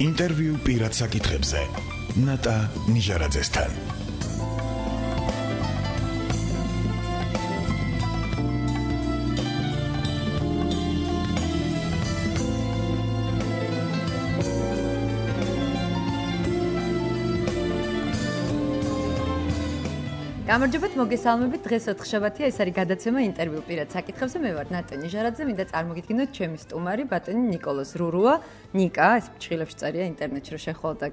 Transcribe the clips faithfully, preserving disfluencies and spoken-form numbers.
ინტერვიუ პირად საკითხებზე ნატა ნიჟარაძესთან. გამარჯობათ, მოგესალმებით. დღეს ოთხშაბათია, ეს არის გადაცემა ინტერვიუ პირად საკითხებზე. მე ვარ ნატა ნიჟარაძე, მინდა წარმოგიდგინოთ ჩემი სტუმარი, ბატონი ნიკოლოზ რურუა. ნიკა, ეს ფრჩხილებში წერია ინტერნეტში, რომ შეხვალ და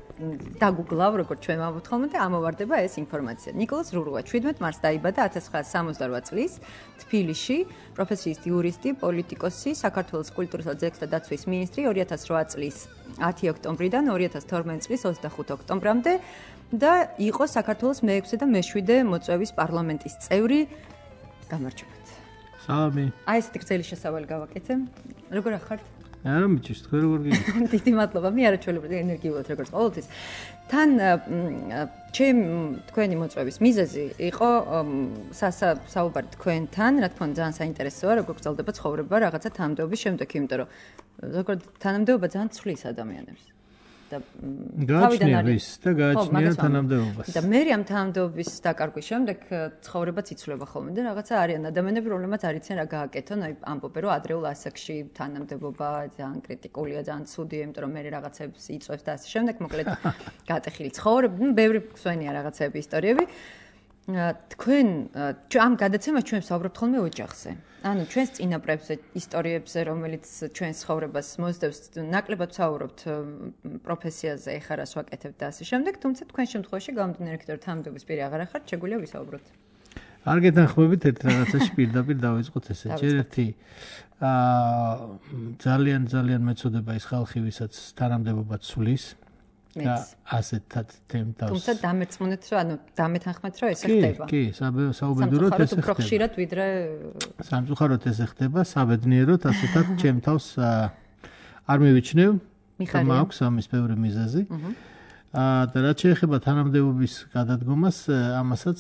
დაგუგლავ, როგორც ჩვენ ვამბობთ ხოლმე და ამოვარდება ეს ინფორმაცია. ნიკოლოზ რურუა შვიდმეტ მარტს დაიბადა ათას ცხრაასა სამოცდარვა წლის თბილისში, პროფესიით იურისტი, პოლიტიკოსი, საქართველოს კულტურისა და ძეგლთა დაცვის მინისტრი ორი ათას რვა წლის ათი ოქტომბრიდან ორი ათას თორმეტ წლის ოცდახუთი ოქტომბრამდე. და იყო საქართველოს მეექვსე და მეშვიდე მოწვევის პარლამენტის წევრი. გამარჯობათ. სალამი. აი ესეთი გრძელი შესავალი გავაკეთე. როგორ ახართ? არა მიჩის, თქვენ როგორ გიგებთ? დიდი მადლობა. მე არაჩვეულებრივი ენერგიულად როგორც ყოველთვის. თან ჩემ თქვენი მოწვევის მიზეზი იყო საუბარი თქვენთან, რა თქმა უნდა ძალიან საინტერესოა, როგორ გრძელდება ცხოვრება რაღაცა თანამდებობის შემდეგ, იმიტომ რომ ზოგადად თანამდებობა ძალიან ცვლის ადამიანებს. გააჩნია ვის და გააჩნია თანამდებობას. და მე ამ თანამდებობის დაკარგვის შემდეგ ცხოვრებაც იცვლება ხოლმე და რაღაცა არიან ადამიანები, რომლებმაც არ იციან რა გააკეთონ, აი ამბობენ რომ ადრეულ ასაკში თანამდებობა ძალიან კრიტიკულია, ძალიან ცუდია, იმიტომ რომ მე რაღაცებს იწვევს და ასე შემდეგ, მოკლედ გაატეხილი ცხოვრება, ნუ ბევრი გვსვენია რაღაცები, ისტორიები. თქვენ ამ გადაცემას ჩვენ ვსაუბრობთ ხოლმე ოჯახზე. ანუ ჩვენს წინაპრებზე, ისტორიებზე, რომელიც ჩვენს ცხოვრებას მოსდევს, ნაკლებად ვსაუბრობთ პროფესიაზე, ეხლა რას ვაკეთებთ და ასე შემდეგ, თუმცა თქვენ შემთხვევაში გამომდინარე იქით, რომ თანამდებობის პირი აღარ ახართ, შეგვიძლია ვისაუბროთ. არ გეთანხმებით ერთ რაღაცაში პირდაპირ დავიწყოთ ესე. ჯერ ერთი აა ძალიან ძალიან მეწოდება ის ხალხი, ვისაც თანამდებობა ცვლის. და ასეთად თემთავს. თუმცა დამერწმუნეთ, რომ ანუ დამეთანხმეთ, რომ ესე ხდება. კი, კი, საუბედუროთ ესე ხდება. უფრო ხშირად ვიდრე სამწუხაროდ ესე ხდება, საბედნიეროდ ასეთად ჩემთავს არ მივიჩნევ. მაქვს ამის ბევრი მიზეზი. აა და რაც შეეხება თანამდებობის გადადგომას, ამასაც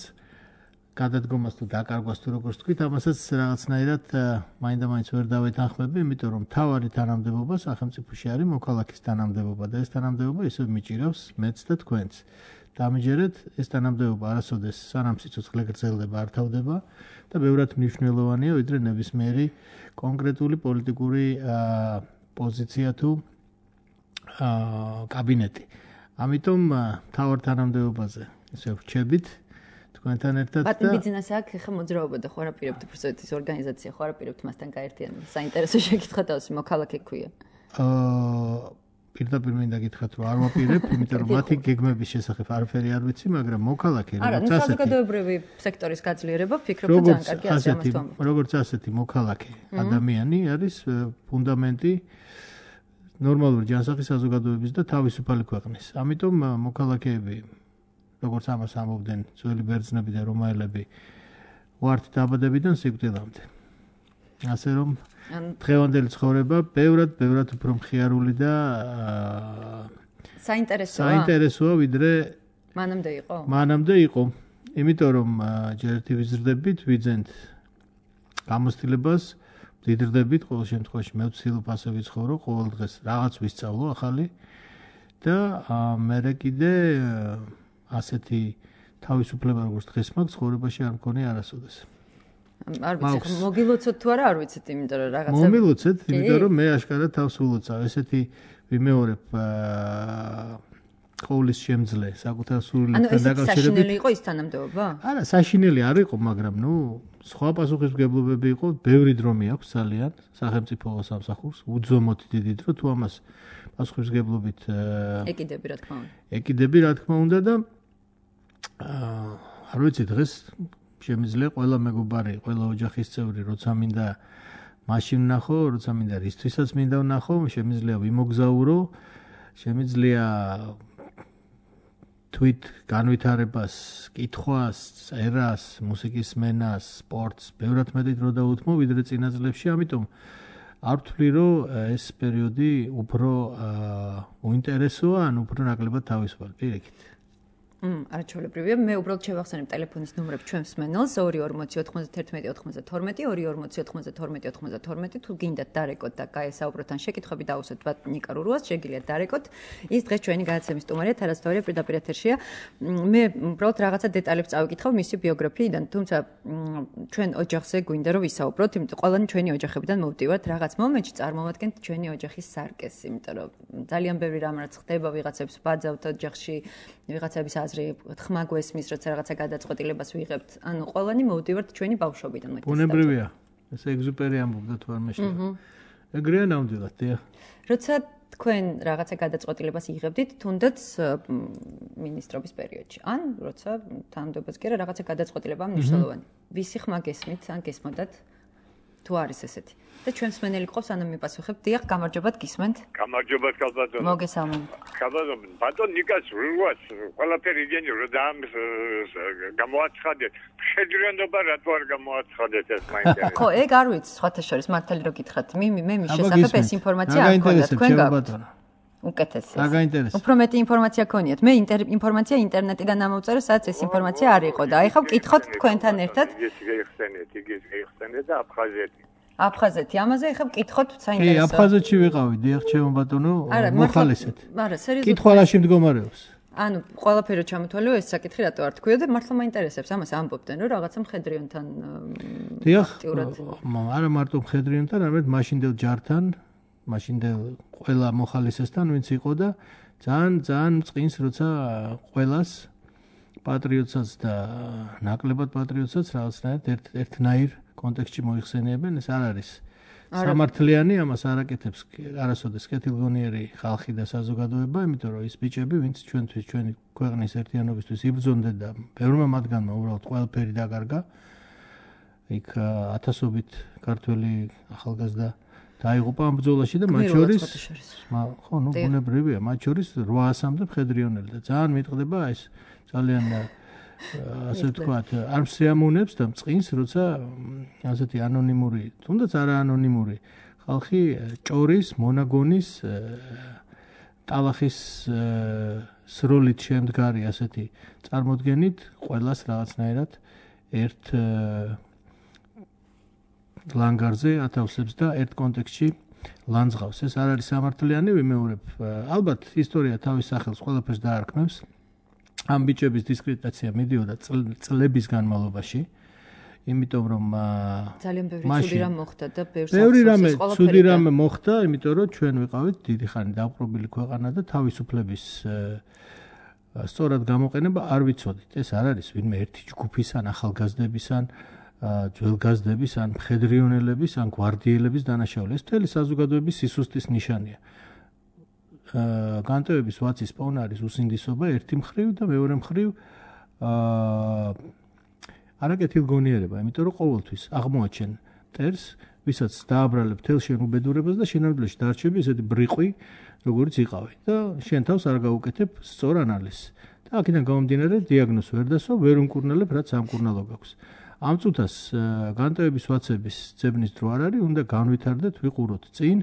გადადგომას თუ დაკარგვას თუ როგორც თქვით, ამასაც რაღაცნაირად მაინდა-მაინც ვერ დავეთანხმები, იმიტომ რომ მთავარი თანამდებობა სახელმწიფოში არის მოქალაქის თანამდებობა და ეს თანამდებობა ისევ მიჭირავს მეც და თქვენც. დამიჯერეთ, ეს თანამდებობა არასოდეს სანამ სიცოცხლე გრძელდება არ თავდება და ბევრად მნიშვნელოვანია, ვიდრე ნებისმიერი კონკრეტული პოლიტიკური პოზიცია თუ კაბინეტი. ამიტომ მთავარ თანამდებობაზე ისევ ვრჩებით თქვენთან ერთად და ბატონ ბიზნესი აქ ხა მოძრაობა და ხო არაპირებთ უბრალოდ ის ორგანიზაცია ხო არაპირებთ მასთან გაერთიანება. საინტერესო შეკითხვა დავსი, მოქალაქე ქვია. აა პირდაპირ მინდა გითხრათ რომ არ ვაპირებ, იმიტომ რომ მათი გეგმების შესახებ არაფერი არ ვიცი, მაგრამ მოქალაქე როგორც ასეთი. არა, საზოგადოებრივი სექტორის გაძლიერება ფიქრობ და ძალიან კარგი ასე ამას თვამობ. როგორც ასეთი მოქალაქე ადამიანი არის ფუნდამენტი ნორმალური ჯანსაღი საზოგადოების და თავისუფალი ქვეყნის. ამიტომ მოქალაქეები როგორც ამას ამბობდნენ ძველი ბერძნები და რომაელები ვართ დაბადებიდან სიკვდილამდე. ასე რომ დღევანდელი ცხოვრება ბევრად ბევრად უფრო მხიარული და საინტერესოა. საინტერესოა ვიდრე მანამდე იყო. მანამდე იყო. იმიტომ რომ ჯერ ერთი ვიზრდებით, ვიძენთ გამოცდილებას, ვდიდრდებით, ყოველ შემთხვევაში მე ვცდილობ ასე ვიცხოვრო, ყოველ დღეს რაღაც ვისწავლო ახალი და მერე კიდე ასეთი თავისუფლება როგორც დღეს მაქვს ცხოვრებაში არ მქონია არასოდეს. არ ვიცი, მოგილოცოთ თუ არა, არ ვიცით, იმიტომ რომ რაღაცა მომილოცეთ, იმიტომ რომ მე აშკარად თავს ულოცავ. ესეთი ვიმეორებ ყოვლის შემძლე საკუთარ სულელებთან დაკავშირებით. ანუ ეს საშინელი იყო ის თანამდებობა? არა, საშინელი არ იყო, მაგრამ ნუ სხვა პასუხისმგებლობები იყო, ბევრი დრო მიაქვს ძალიან სახელმწიფო სამსახურს, უძომოდ დიდი დრო, თუ ამას პასუხისმგებლობით ეკიდები რა თქმა უნდა. ეკიდები რა თქმა უნდა და აა არ ვიცი დღეს შემიძლია ყველა მეგობარი, ყველა ოჯახის წევრი, როცა მინდა მაშინ ვნახო, როცა მინდა რისთვისაც მინდა ვნახო, შემიძლია ვიმოგზაურო, შემიძლია თვით განვითარებას, კითხვას, წერას, მუსიკის სმენას, სპორტს, ბევრად მეტი დრო დაუთმო ვიდრე წინა წლებში, ამიტომ არ ვთვლი, რომ ეს პერიოდი უფრო უინტერესოა, ან უფრო ნაკლებად თავისუფალი პირიქით. არაჩვეულებრივია. მე უბრალოდ შევახსენებ ტელეფონის ნომრებს ჩვენს მსმენელს ორი ორმოცი ოთხმოცდაათი ოთხმოცდათორმეტი ორი ორმოცი ოთხმოცდათორმეტი ოთხმოცდათორმეტი თუ გინდათ დარეკოთ და გაესაუბროთ ან შეკითხვები დაუსვათ ნიკა რურუას შეგიძლიათ დარეკოთ. ის დღეს ჩვენი გადაცემის სტუმარია თარაზ-თორია პირდაპირ ეთერშია. მე უბრალოდ რაღაცა დეტალებს წავიკითხავ მისი ბიოგრაფიიდან, თუმცა ჩვენ ოჯახზე გვინდა რომ ვისაუბროთ, იმიტომ ყველანი ჩვენი ოჯახებიდან მოვდივართ, რაღაც მომენტში წარმოვადგენთ ჩვენი ოჯახის სარკეს, იმიტომ რომ ძალიან ბევრი რამ რაც ხდება ვიღაცებს ბაძავთ ოჯახში, ვიღაცების აზრი ხმა გვესმის, როცა რაღაცა გადაწყვეტილებას ვიღებთ. ანუ ყველანი მოვდივართ ჩვენი ბავშვობიდან. ბუნებრივია. ეს ეგზუპერი ამბობდა თუ არ მეშინდა. ეგრეა ნამდვილად, დიახ. როცა თქვენ რაღაცა გადაწყვეტილებას იღებდით, თუნდაც მინისტრობის პერიოდში, ან როცა თანამდებობაზე კი რაღაცა გადაწყვეტილება მნიშვნელოვანი. ვისი ხმა გესმით, ან გესმოდათ? თუ არის ესეთი. და ჩვენს მსმენელი ყავს, ანუ მიპასუხებთ. დიახ, გამარჯობათ, გისმენთ? გამარჯობათ, კალბატონო. მოგესალმებით. კალბატონო, ბატონ ნიკას რუას ყველაფერი იგენი რომ ამ გამოაცხადეთ. შეძრენობა რატო არ გამოაცხადეთ ეს მაინტერესებს. ხო, ეგ არ ვიცი, სხვათა შორის მართალი რო გითხრათ. მე მე მის შესახებ ეს ინფორმაცია არ გქონდა თქვენ გაქვთ. უკეთესია. დაგაინტერესებს. უფრო მეტი ინფორმაცია გქონიათ. მე ინფორმაცია ინტერნეტიდან ამოვწერე, სადაც ეს ინფორმაცია არ იყო და აი ხა ვკითხოთ თქვენთან ერთად. იგიც გაიხსენეთ, იგიც გაიხსენეთ და აფხაზეთი. აფხაზეთი, ამაზე ხა ვკითხოთ საინტერესო. კი, აფხაზეთში ვიყავი, დიახ, ჩემო ბატონო, მოხალისეთ. არა, სერიოზულად. კითხვა რაში მდგომარეობს? ანუ ყველაფერი რო ჩამოთვალეო, ეს საკითხი რატო არ თქვიო და მართლა მაინტერესებს, ამას ამბობდნენ, რომ რაღაცა მხედრიონთან დიახ, არა მარტო მხედრიონთან, არამედ მაშინდელ ჯართან, მაშინდელ ყველა მოხალისესთან ვინც იყო და ძალიან ძალიან წინს როცა ყველას პატრიოტსაც და ნაკლებად პატრიოტსაც რაღაცნაირად ერთ ერთნაირ კონტექსტში მოიხსენიებენ, ეს არ არის სამართლიანი, ამას არ აკეთებს არასოდეს კეთილგონიერი ხალხი და საზოგადოება, იმიტომ რომ ის ბიჭები, ვინც ჩვენთვის ჩვენი ქვეყნის ერთიანობისთვის იბრძონდნენ და ბევრმა მათგანმა უბრალოდ ყველაფერი დაკარგა. იქ ათასობით ქართველი ახალგაზრდა დაიღუპა ამ ბრძოლაში და მათ შორის ხო, ნუ ბუნებრივია, მათ შორის რვაასამდე მხედრიონელი და ძალიან მიტყდება ეს ძალიან ასე ვთქვათ, არ მსიამოვნებს და წყინს, როცა ასეთი ანონიმური, თუნდაც არა ანონიმური ხალხი ჭორის, მონაგონის, ტალახის სროლით შემდგარი ასეთი წარმოდგენით ყველას რაღაცნაირად ერთ ლანგარზე ათავსებს და ერთ კონტექსტში ლანძღავს. ეს არ არის სამართლიანი, ვიმეორებ. ალბათ ისტორია თავის სახელს ყველაფერს დაარქმევს. ამ ბიჭების დისკრედიტაცია მიდიოდა წლების განმავლობაში, იმიტომ რომ ძალიან ბევრი ცუდი რამ მოხდა და ბევრს ბევრი რამე ცუდი რამე მოხდა, იმიტომ რომ ჩვენ ვიყავით დიდი ხანი დაპყრობილი ქვეყანა და თავისუფლების სწორად გამოყენება არ ვიცოდით. ეს არ არის ვინმე ერთი ჯგუფის ან ახალგაზრდების ან ძველგაზრდების ან მხედრიონელების ან გვარდიელების დანაშაული. ეს მთელი საზოგადოების სისუსტის ნიშანია. განტევების ვაცის პონარის უსინდისობა ერთი მხრივ და მეორე მხრივ არაკეთილგონიერება, იმიტომ რომ ყოველთვის აღმოაჩენ მტერს, ვისაც დააბრალებ თელ შენ უბედურებას და შენადვლეში დარჩები ესეთი ბრიყვი, როგორც იყავი და შენ თავს არ გაუკეთებ სწორ ანალიზს. და აქედან გამომდინარე დიაგნოზს ვერ დასვა, ვერ უმკურნალებ, რაც სამკურნალო გაქვს. ამ წუთას განტევების ვაცების ძებნის დრო არ არის, უნდა განვითარდეთ, ვიყუროთ წინ,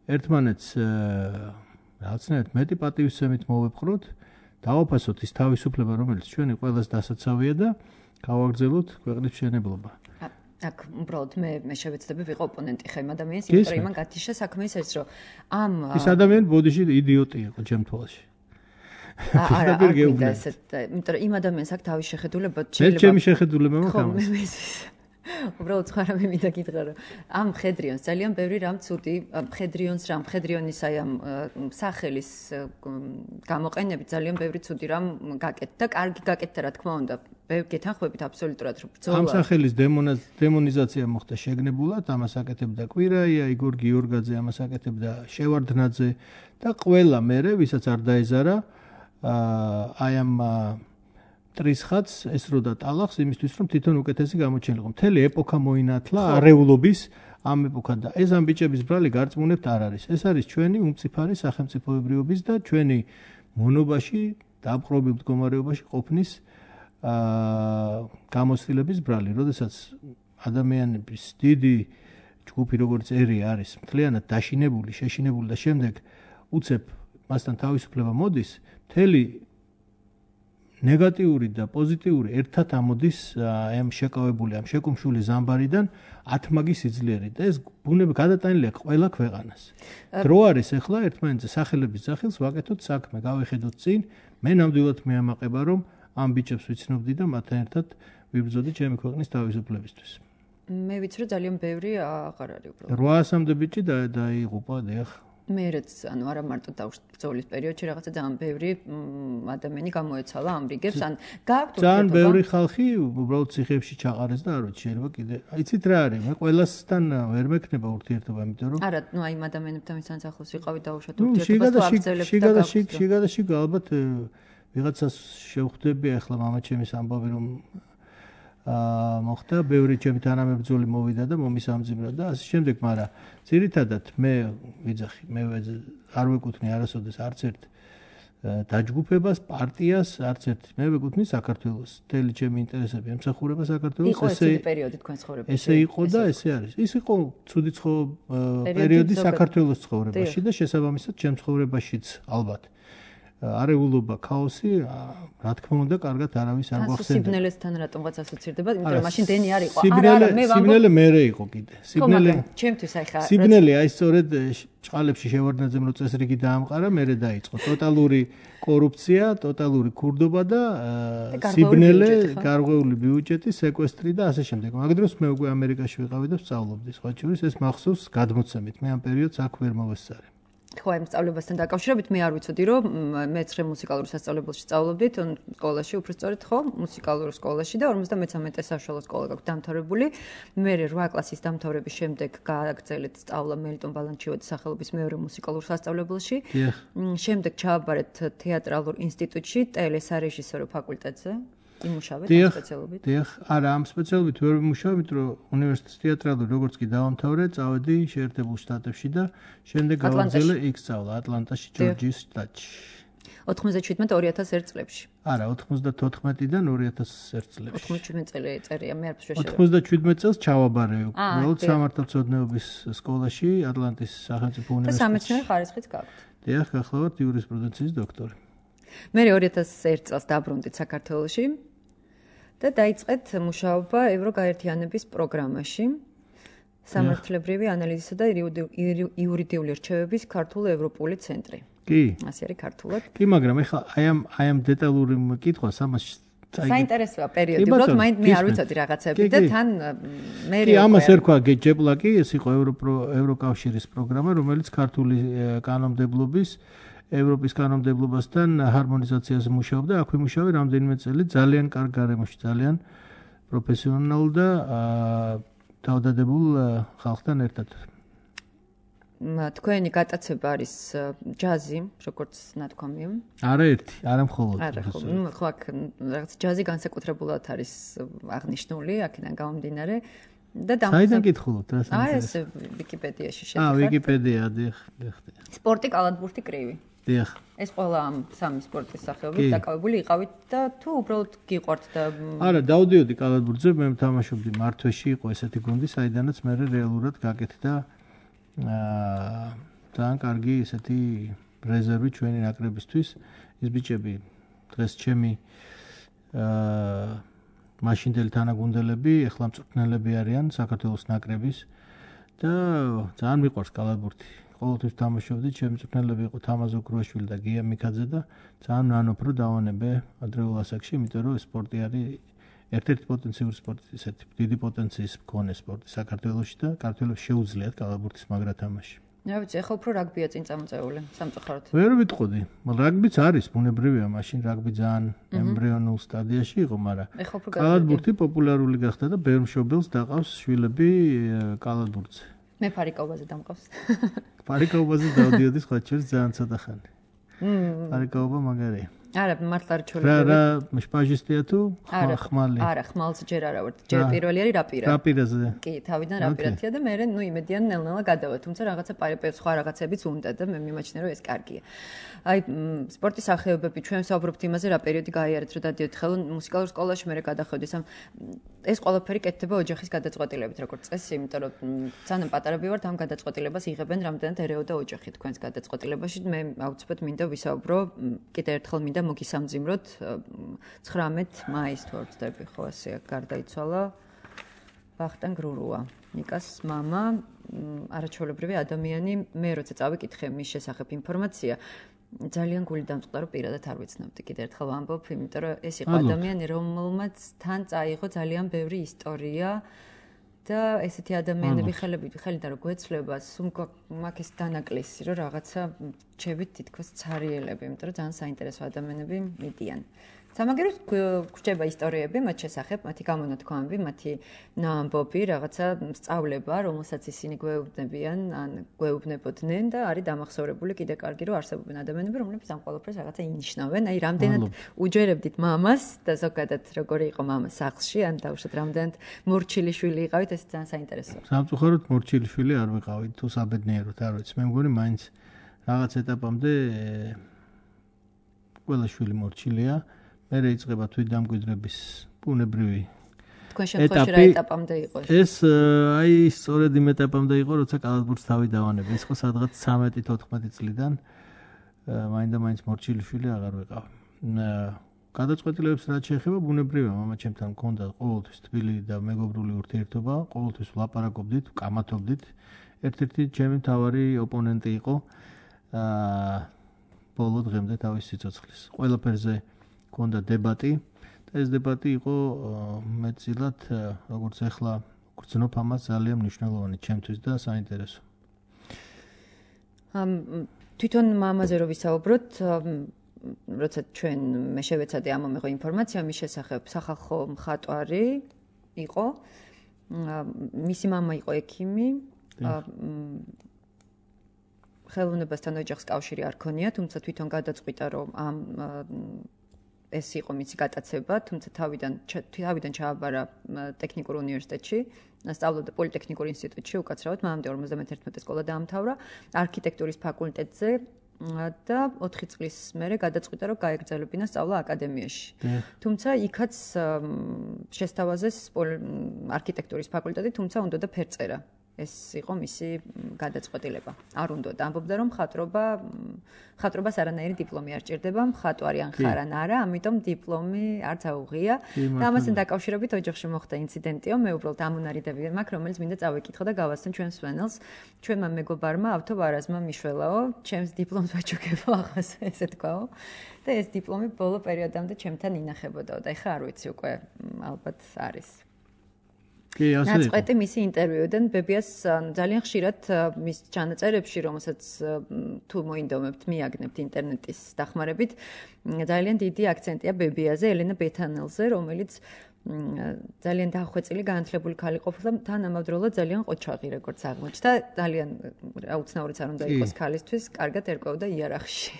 ერთმანეთს რაღაცნაირად მეტი პატივისცემით მოვეპყროთ, დავაფასოთ ის თავისუფლება, რომელიც ჩვენი ყველას დასაცავია და გავაგრძელოთ ქვეყნის მშენებლობა. აქ უბრალოდ მე მე შევეცდები ვიყო ოპონენტი ხე იმ ადამიანს, იმიტომ რომ იმან გათიშა საქმე ის არის, რომ ამ ის ადამიანი ბოდიში იდიოტი იყო ჩემ თვალში. არა, არ გინდა ესეთ, იმიტომ რომ იმ ადამიანს აქ თავის შეხედულება შეიძლება. მე ჩემი შეხედულება მაქვს. უბრალოდ სხვა რამე მინდა გითხრა, რომ ამ მხედრიონს ძალიან ბევრი რამ ცუდი, მხედრიონს რამ, მხედრიონის აი ამ სახელის გამოყენებით ძალიან ბევრი ცუდი რამ გაკეთდა და კარგი გაკეთდა, რა თქმა უნდა. მე გეთანხმებით აბსოლუტურად, რომ ბრძოლა ამ სახელის დემონიზაცია მოხდა შეგნებულად, ამას აკეთებდა კვირაია, იგორ გიორგაძე, ამას აკეთებდა შევარდნაძე და ყველა მერე, ვისაც არ დაეზარა აი ამ ტრისხაც ესროდა ტალახს იმისთვის, რომ თვითონ უკეთესი გამოჩენილიყო. მთელი ეპოქა მოინათლა არეულობის ამ ეპოქად და ეს ამ ბიჭების ბრალი გარწმუნებთ არ არის. ეს არის ჩვენი უმწიფარი სახელმწიფოებრიობის და ჩვენი მონობაში დაპყრობილ მდგომარეობაში ყოფნის გამოცდილების ბრალი. როდესაც ადამიანების დიდი ჯგუფი როგორც ერი არის მთლიანად დაშინებული, შეშინებული და შემდეგ უცებ მასთან თავისუფლება მოდის, მთელი ნეგატიური და პოზიტიური ერთად ამოდის ამ შეკავებული ამ შეკუმშული ზამბარიდან ათმაგი სიძლიერით და ეს ბუნები გადატანილია ყველა ქვეყანას. დრო არის ახლა ერთმანეთზე სახელების სახელს ვაკეთოთ საქმე, გავიხედოთ წინ, მე ნამდვილად მეამაყება რომ ამ ბიჭებს ვიცნობდი და მათთან ერთად ვიბრძოდი ჩემი ქვეყნის თავისუფლებისთვის. მე ვიცი რომ ძალიან ბევრი აღარ არის უბრალოდ. რვაასამდე ბიჭი დაიღუპა დიახ. მეც ანუ არა მარტო ბრძოლის პერიოდში რაღაცა ძალიან ბევრი ადამიანი გამოეცალა ამ რიგებს ან გააქვთ ძალიან ბევრი ხალხი უბრალოდ ციხეებში ჩაყარეს და არ ვიცი შეიძლება კიდე იცით რა არის მე ყველასთან ვერ მექნება ურთიერთობა იმიტომ რომ არა ნუ აი იმ ადამიანებთან ვისაც ახლოს ვიყავით დაუშვათ ურთიერთობას თუ აღძელებთ და შიგადაში შიგადაში ალბათ ვიღაცას შევხვდები ახლა მამაჩემის ამბავი რომ აა მოხდა ბევრი ჩემი თანამებრძოლი მოვიდა და მომისამძიმრა და ასე შემდეგ, მაგრამ ძირითადად მე ვიძახი, მე არ ვეკუთვნი არასოდეს არც ერთ დაჯგუფებას, პარტიას, არც ერთ მე ვეკუთვნი საქართველოს. მთელი ჩემი ინტერესები ემსახურება საქართველოს. ესე იყო პერიოდი თქვენ ცხოვრებაში. ესე იყო და ესე არის. ის იყო ცუდი პერიოდი საქართველოს ცხოვრებაში და შესაბამისად ჩემ ცხოვრებაშიც ალბათ. არეულობა, ქაოსი, რა თქმა უნდა, კარგად არავის არ გვახსენდა. სიბნელესთან რატომღაც ასოცირდება, იმიტომ რომ მაშინ დენი არ იყო. არა, არა, მე ვამბობ. სიბნელე მერე იყო კიდე. სიბნელე. ჩემთვის აი ხა. სიბნელე აი სწორედ ჭყალებში შევარდნაძემ რო წესრიგი დაამყარა, მერე დაიწყო. ტოტალური კორუფცია, ტოტალური ქურდობა და სიბნელე, გარღვეული ბიუჯეტი, სეკვესტრი და ასე შემდეგ. მაგ დროს მე უკვე ამერიკაში ვიყავი და ვსწავლობდი. სხვა შორის ეს მახსოვს გადმოცემით. მე ამ პერიოდს აქ ვერ მოვესწარე. ხო, ამ სწავლებასთან დაკავშირებით მე არ ვიცოდი, რომ მეცხრე მუსიკალურ სასწავლებელში სწავლობდით, სკოლაში, უფრო სწორედ ხო, მუსიკალურ სკოლაში და ორმოცდამეცამეტე საშუალო სკოლა გაქვთ დამთავრებული. მე რვა კლასის დამთავრების შემდეგ გააგრძელეთ სწავლა მელიტონ ბალანჩივაძის სახელობის მეორე მუსიკალურ სასწავლებელში. შემდეგ ჩააბარეთ თეატრალურ ინსტიტუტში, ტელესარეჟისორო ფაკულტეტზე. იმუშავეთ ამ სპეციალობით? დიახ, არა, ამ სპეციალობით ვერ ვიმუშავე, იმიტომ რომ უნივერსიტეტის თეატრალური როგორც კი დავამთავრე, წავედი შეერთებულ შტატებში და შემდეგ გავაგრძელე იქ სწავლა ატლანტაში, ჯორჯიის შტატში. ოთხმოცდაშვიდმეტ ორი ათას ერთ წლებში. არა, ოთხმოცდათოთხმეტიდან ორი ათას ერთ წლებში. ოთხმოცდაშვიდმეტ წელი წერია, მე არ შეშევ. ოთხმოცდაშვიდმეტ წელს ჩავაბარე უბრალოდ სამართალმცოდნეობის სკოლაში, ატლანტის სახელმწიფო უნივერსიტეტში. და სამეცნიერო ხარისხიც გაქვთ. დიახ, გახლავართ იურისპრუდენციის დოქტორი. მე ორი ათას ერთ წელს დაბრუნდით საქართველოში და დაიწყეთ მუშაობა ევროგაერთიანების პროგრამაში სამართლებრივი ანალიზისა და იურიდიული რჩევების ქართულ-ევროპული ცენტრი. კი. ასე არის ქართულად. კი, მაგრამ ეხლა აი ამ აი ამ დეტალური კითხვას ამას საინტერესოა პერიოდი, უბრალოდ მე არ ვიცოდი რაღაცები და თან მე კი, ამას ერქვა გეჯეპლაკი, ეს იყო ევროკავშირის პროგრამა, რომელიც ქართული კანონმდებლობის ევროპის კანონმდებლობასთან ჰარმონიზაციაზე მუშაობდა, აქ ვიმუშავე რამდენიმე წელი, ძალიან კარგ გარემოში, ძალიან პროფესიონალ და თავდადებულ ხალხთან ერთად. თქვენი გატაცება არის ჯაზი, როგორც ნათქვამია. არაერთი, არა მხოლოდ. არა, ხო, ნუ ხო აქ რაღაც ჯაზი განსაკუთრებულად არის აღნიშნული, აქედან გამომდინარე. და საიდან გითხულობთ რა საინტერესო? აი ეს ვიკიპედიაში შევიხარ. აა, ვიკიპედია, დიახ, დიახ. სპორტი, კალათბურთი, კრივი. დიახ. ეს ყველა ამ სამი სპორტის სახეობით დაკავებული იყავით და თუ უბრალოდ გიყვართ და არა, დავდიოდი კალათბურთზე, მე თამაშობდი მართვეში, იყო ესეთი გუნდი, საიდანაც მე რეალურად გაკეთდა აა ძალიან კარგი ესეთი რეზერვი ჩვენი ნაკრებისთვის. ეს ბიჭები დღეს ჩემი აა მაშინდელი თანაგუნდელები, ეხლა მწვრთნელები არიან საქართველოს ნაკრების და ძალიან მიყვარს კალათბურთი. ყოველთვის თამაშობდი, ჩემი მწვრთნელები იყო თამაზ ოქრუაშვილი და გია მიქაძე და ძალიან ვანობ რომ დავანებე ადრეულ ასაკში, იმიტომ რომ სპორტი არის ერთ-ერთი პოტენციური სპორტი, ესეთი დიდი პოტენციის მქონე სპორტი საქართველოში და საქართველოს შეუძლიათ კალათბურთის მაგრა თამაში. რა ვიცი, ახლა უფრო რაგბია წინ წამოწეული, სამწუხაროდ. ვერ ვიტყოდი, რაგბიც არის, ბუნებრივია, მაშინ რაგბი ძალიან ემბრიონულ სტადიაში იყო, მაგრამ კალათბურთი პოპულარული გახდა და ბევრ მშობელს დაყავს შვილები კალათბურთზე. მე ფარიკაობაზე დამყავს. ფარიკაობაზე დავდიოდი სხვა შორის ძალიან ცოტა ხანი. ფარიკაობა მაგარია. არა, მართლა არ ჩოლები. რა რა, შპაჟისტია თუ ხმალი? არა, ხმალს ჯერ არა ვარ. ჯერ პირველი არის რაპირა. რაპირაზე. კი, თავიდან რაპირათია და მე ნუ იმედიან ნელ-ნელა გადავა, თუმცა რაღაცა სხვა რაღაცებიც უნდა და მე მიმაჩნია რომ ეს კარგია. აი, სპორტის სახეობები ჩვენ საუბრობთ იმაზე, რა პერიოდი გაიარეთ, რომ დადიოთ ხელო მუსიკალურ სკოლაში, მე გადახვედი სამ ეს ყველაფერი კეთდება ოჯახის გადაწყვეტილებით, როგორც წესი, იმიტომ რომ ძალიან პატარები ვართ, ამ გადაწყვეტილებას იღებენ რამდენად ერეოდა ოჯახი თქვენს გადაწყვეტილებაში. მე აუცილებლად მინდა ვისაუბრო, კიდე ერთხელ მინდა მოგისამძიმროთ ცხრამეტ მაისს თუ არ ვცდები, ხო, ასე გარდაიცვალა ვახტანგ რურუა, ნიკას მამა, არაჩვეულებრივი ადამიანი. მე როცა წავიკითხე მის შესახებ ინფორმაცია, ძალიან გული დამწყდა, რომ პირადად არ ვიცნობდი. კიდევ ერთხელ ვამბობ, იმიტომ რომ ეს იყო ადამიანი, რომელმაც თან წაიღო ძალიან ბევრი ისტორია და ესეთი ადამიანები ხელებით ხელიდან რო გვეცლება, სულ მაქვს ეს დანაკლისი, რომ რაღაცა ჩებით თითქოს ცარიელები, იმიტომ რომ ძალიან საინტერესო ადამიანები მიდიან. სამაგეროდ გვჭება ისტორიები მათ შესახებ, მათი გამონათქვამები, მათი ნაამბობი, რაღაცა სწავლება, რომელსაც ისინი გვეუბნებიან, ან გვეუბნებოდნენ და არის დამახსოვრებული კიდე კარგი, რომ არსებობენ ადამიანები, რომლებიც ამ ყველაფერს რაღაცა ინიშნავენ. აი, რამდენად უჯერებდით მამას და ზოგადად როგორი იყო მამა სახლში, ან დაუშვათ რამდენად მორჩილი შვილი იყავით, ეს ძალიან საინტერესოა. სამწუხაროდ მორჩილი შვილი არ ვიყავით, თუ საბედნიეროდ არ ვიცი. მე მგონი მაინც რაღაც ეტაპამდე ყველა შვილი მორჩილია. მე რეიწყება თვითდამკვიდრების ბუნებრივი თქვენ შემთხვევაში რა ეტაპამდე იყო ეს? ეს აი სწორედ იმ ეტაპამდე იყო, როცა კალათბურთს თავი დავანები. ეს იყო სადღაც ცამეტი თოთხმეტი წლიდან. მაინდა მაინც მორჩილი შვილი აღარ ვიყავ. გადაწყვეტილებებს რაც შეეხება ბუნებრივია, მამა ჩემთან მქონდა ყოველთვის თბილი და მეგობრული ურთიერთობა, ყოველთვის ვლაპარაკობდით, ვკამათობდით. ერთ-ერთი ჩემი მთავარი ოპონენტი იყო აა ბოლო დღემდე თავის სიცოცხლის. ყველაფერზე მქონდა დებატი და ეს დებატი იყო მეტწილად როგორც ახლა გრძნობ ამას ძალიან მნიშვნელოვანი ჩემთვის და საინტერესო. ამ თვითონ მამაზე რო ვისაუბროთ, როცა ჩვენ მე შევეცადე ამ მომეღო ინფორმაცია მის შესახებ, სახალხო მხატვარი იყო. მისი მამა იყო ექიმი. ხელოვნებასთან ოჯახს კავშირი არ ქონია, თუმცა თვითონ გადაწყვიტა, რომ ამ ეს იყო მისი გატაცება, თუმცა თავიდან თავიდან ჩააბარა ტექნიკურ უნივერსიტეტში, სწავლობდა პოლიტექნიკურ ინსტიტუტში უკაცრავად, მანამდე ორმოცდამეტ სკოლა დაამთავრა არქიტექტურის ფაკულტეტზე და ოთხი წლის მერე გადაწყვიტა, რომ გაეგრძელებინა სწავლა აკადემიაში. თუმცა იქაც შესთავაზეს არქიტექტურის ფაკულტეტი, თუმცა უნდოდა ფერწერა. ეს იყო მისი გადაწყვეტილება. არ უნდოდა, ამბობდა რომ მხატვრობა მხატვრობას არანაირი დიპლომი არ ჭირდება, მხატვარი ან ხარ ან არა, ამიტომ დიპლომი არც აუღია. და ამასთან დაკავშირებით ოჯახში მოხდა ინციდენტიო, მე უბრალოდ ამუნარიდები მაქვს, რომელიც მინდა წავიკითხო და გავასწრენ ჩვენს მსმენელს. ჩვენმა მეგობარმა ავთო ვარაზმა მიშველაო, ჩემს დიპლომს ვაჩუქებო ახას, ესე თქვაო. და ეს დიპლომი ბოლო პერიოდამდე ჩემთან ინახებოდაო და ეხლა არ ვიცი უკვე ალბათ არის. ნაწყვეტი მისი ინტერვიუდან ბებიას ძალიან ხშირად მის ჩანაწერებში, რომელსაც თუ მოინდომებთ, მიაგნებთ ინტერნეტის დახმარებით, ძალიან დიდი აქცენტია ბებიაზე, ელენა ბეთანელზე, რომელიც ძალიან დახვეწილი, განათლებული ქალი ყოფილა, თან ამავდროულად ძალიან ყოჩაღი, როგორც აღმოჩნდა, ძალიან აუცნაურიც არ უნდა იყოს ქალისთვის, კარგად ერკვეოდა იარაღში.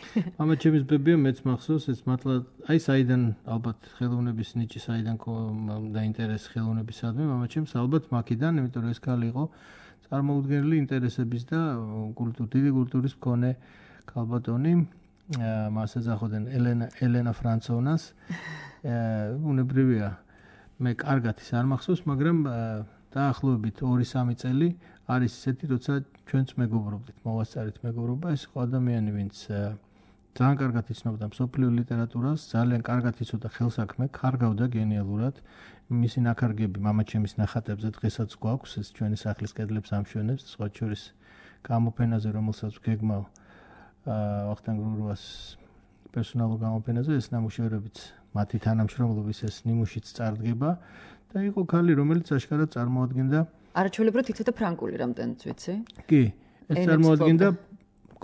მამა ჩემის ბებია მეც მახსოვს, ეს მართლა აი საიდან ალბათ ხელოვნების ნიჭი საიდან დაინტერესდა ხელოვნებისადმი, მამა ჩემს ალბათ მაქიდან, იმიტომ რომ ეს ქალი იყო წარმოუდგენელი ინტერესების და კულტურის დიდი კულტურის მქონე ქალბატონი. მას ეძახოდნენ ელენა ელენა ფრანცოვნას. უნებრივია მე კარგად ის არ მახსოვს, მაგრამ დაახლოებით ორი სამი წელი არის ისეთი, როცა ჩვენც მეგობრობდით, მოვასწარით მეგობრობა, ეს იყო ადამიანი, ვინც ძალიან კარგად იცნობდა მსოფლიო ლიტერატურას, ძალიან კარგად იცოდა ხელსაქმე, კარგავდა გენიალურად. მისი ნახარგები მამაჩემის ნახატებზე დღესაც გვაქვს, ეს ჩვენი სახლის კედლებს ამშვენებს, სხვა შორის გამოფენაზე, რომელსაც გეგმავ ვახტანგ რურუას პერსონალურ გამოფენაზე, ეს ნამუშევრებიც მათი თანამშრომლობის ეს ნიმუშიც წარდგება და იყო ქალი, რომელიც აშკარად წარმოადგენდა არაჩვეულებრივად იცოდა ფრანგული რამდენიც ვიცი? კი, ეს წარმოადგენდა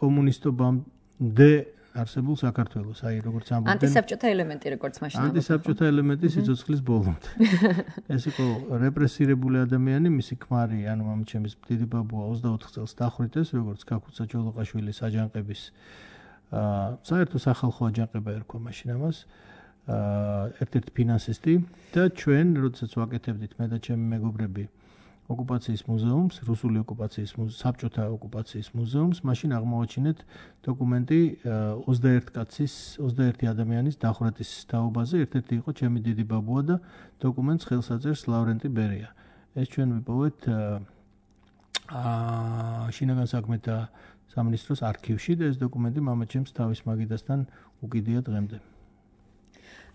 კომუნისტობამდე არსებულ საქართველოს, აი როგორც ამბობდნენ. ანტისაბჭოთა ელემენტი როგორც მაშინ. ანტისაბჭოთა ელემენტი სიცოცხლის ბოლომდე. ეს იყო რეპრესირებული ადამიანი, მისი ქმარი, ანუ მამაჩემის დიდი ბაბუა ოცდაოთხ წელს დახვრიტეს, როგორც ქაქუცა ჯოლოყაშვილის აჯანყების აა საერთო სახალხო აჯანყება ერქვა მაშინ ამას. ერთ-ერთი ფინანსისტი და ჩვენ როდესაც ვაკეთებდით მე და ჩემი მეგობრები ოკუპაციის მუზეუმს, რუსული ოკუპაციის მუზეუმს, საბჭოთა ოკუპაციის მუზეუმს, მაშინ აღმოვაჩინეთ დოკუმენტი ოცდაერთი კაცის, ოცდაერთი ადამიანის დახვრეტის თაობაზე, ერთ-ერთი იყო ჩემი დიდი ბაბუა და დოკუმენტს ხელს აწერს ლავრენტი ბერია. ეს ჩვენ ვიპოვეთ აა შინაგან საქმეთა სამინისტროს არქივში და ეს დოკუმენტი მამაჩემს თავის მაგიდასთან უკიდია დღემდე.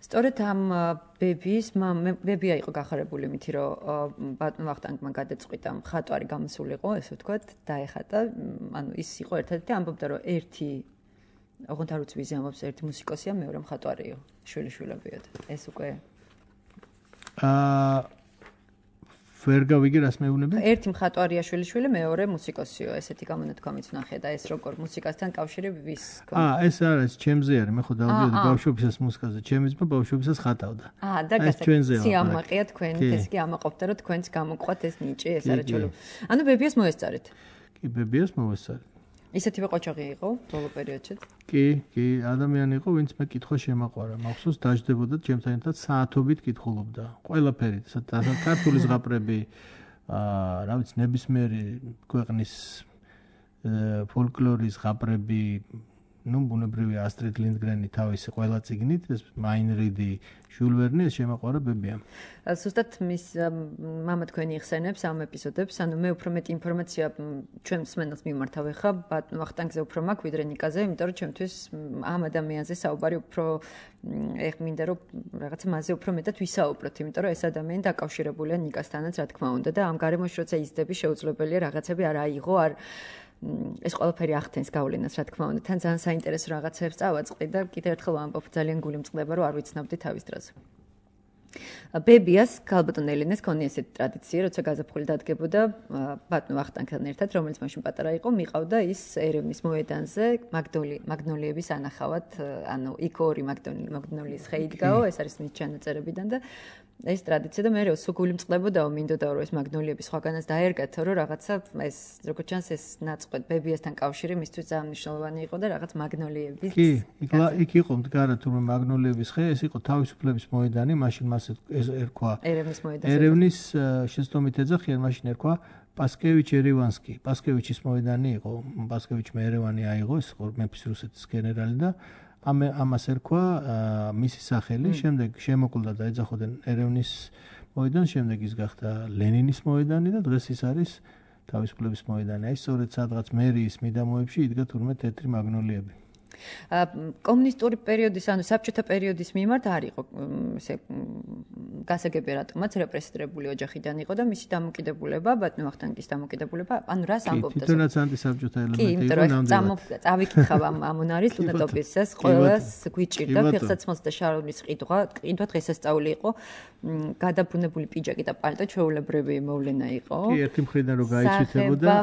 სწორედ ამ ბებიის ბებია იყო გახარებული მითი რომ ბატონ ვახტანგმა გადაწყვიტა მხატვარი გამოსულიყო ესე ვთქვათ დაეხატა ანუ ის იყო ერთადერთი ამბობდა რომ ერთი ოღონდ არ ვიცი ვიზი ამბობს ერთი მუსიკოსია მეორე მხატვარიო შვილიშვილებიოდ ეს უკვე აა ვერ გავიგე რას მეუბნები? ერთი მხატვარია შვილიშვილი, მეორე მუსიკოსიო, ესეთი გამონათქვამიც ვნახე და ეს როგორ მუსიკასთან კავშირი ვის გქონდა? აა, ეს არის ჩემზე არის, მე ხო დავდიოდი ბავშვობისას მუსიკაზე, ჩემი ძმა ბავშვობისას ხატავდა. აა, და სიამაყეა თქვენ, ეს კი ამაყობდა რომ თქვენც გამოყვათ ეს ნიჭი, ეს არა ჩოლო. ანუ ბებიას მოესწარეთ? კი, ბებიას მოესწარეთ. ისეთივე ყოჩაღი იყო ბოლო პერიოდშიც? კი, კი, ადამიანი იყო, ვინც მე კითხვა შემაყვარა. მახსოვს დაждდებოდა ჩემთან ერთად საათობით კითხულობდა. ყველაფერი, ქართული ზღაპრები, აა, რა ვიცი, ნებისმიერი ქვეყნის ფოლკლორის ზღაპრები, ну, ბუნებრივია ასტრიდ ლინდგრენი თავისი ყველა წიგნით, ეს მაინრიდი, ჟულ ვერნი ეს შემაყვარა ბებიამ. Ზუსტად მის მამა თქვენი იხსენებს ამ ეპიზოდებს, ანუ მე უფრო მეტი ინფორმაცია ჩვენ მსმენელს მიმართავ ხა, ბატონ ვახტანგზე უფრო მაქვს ვიდრე ნიკაზე, იმიტომ რომ ჩემთვის ამ ადამიანზე საუბარი უფრო ეხ მინდა რომ რაღაცა მასზე უფრო მეტად ვისაუბროთ, იმიტომ რომ ეს ადამიანი დაკავშირებულია ნიკასთანაც, რა თქმა უნდა და ამ გარემოში როცა იზრდები შეუძლებელია რაღაცები არ აიღო, არ ეს ყველაფერი ახდენს გავლენას, რა თქმა უნდა, თან ძალიან საინტერესო რაღაცებს წავაწყდი და კიდევ ერთხელ ვამბობ, ძალიან გული მწყდება, რომ არ ვიცნობდი თავის დროზე. ბებიას ქალბატონ ელენეს ქონია ესეთი ტრადიცია, როცა გაზაფხული დადგებოდა ბატონ ვახტანგთან ერთად, რომელიც მაშინ პატარა იყო, მიყავდა ის ერევნის მოედანზე მაგნოლიების ანახავად, ანუ იქ ორი მაგნოლიის ხე იდგაო, ეს არის მის ჩანაწერებიდან და ეს ტრადიცია და მე როსო გული მწყდებოდაო, მინდოდა რომ ეს მაგნოლიები სხვაგანაც დაერგათო, რომ რაღაცა ეს როგორც ჩანს ეს ნაწყვეტ ბებიასთან კავშირი მისთვის ძალიან მნიშვნელოვანი იყო და რაღაც მაგნოლიების კი, იქ იყო მდგარა თურმე მაგნოლიების ხე, ეს იყო თავისუფლების მოედანი, მაშინ მას ეს ერქვა ერევნის მოედანი. ერევნის შეცდომით ეძახიან, მაშინ ერქვა პასკევიჩ ერევანსკი. პასკევიჩის მოედანი იყო, პასკევიჩმა ერევანი აიღო, ეს იყო მეფის რუსეთის გენერალი და ამ ამას ერქვა მისი სახელი, შემდეგ შემოკლდა და ეძახოდნენ ერევნის მოედანს, შემდეგ ის გახდა ლენინის მოედანი და დღეს ის არის თავისუფლების მოედანი. აი სწორედ სადღაც მერიის მიდამოებში იდგა თურმე თეთრი მაგნოლიები. კომუნისტური პერიოდის, ანუ საბჭოთა პერიოდის მიმართ არ იყო ესე გასაგები რატომაც რეპრესირებული ოჯახიდან იყო და მისი დამოკიდებულება, ბატონ ვახტანგის დამოკიდებულება, ანუ რას ამბობდა? თვითონაც ანტისაბჭოთა ელემენტი იყო ნამდვილად. წავიკითხავ ამ ამონარის უდატობისას, ყველას გვიჭირდა ფეხსაცმელს და შარონის ყიდვა, ყიდვა დღესასწაული იყო, გადაბრუნებული პიჯაკი და პალტო ჩვეულებრივი მოვლენა იყო. კი, ერთი მხრიდან რო გაიცვითებოდა.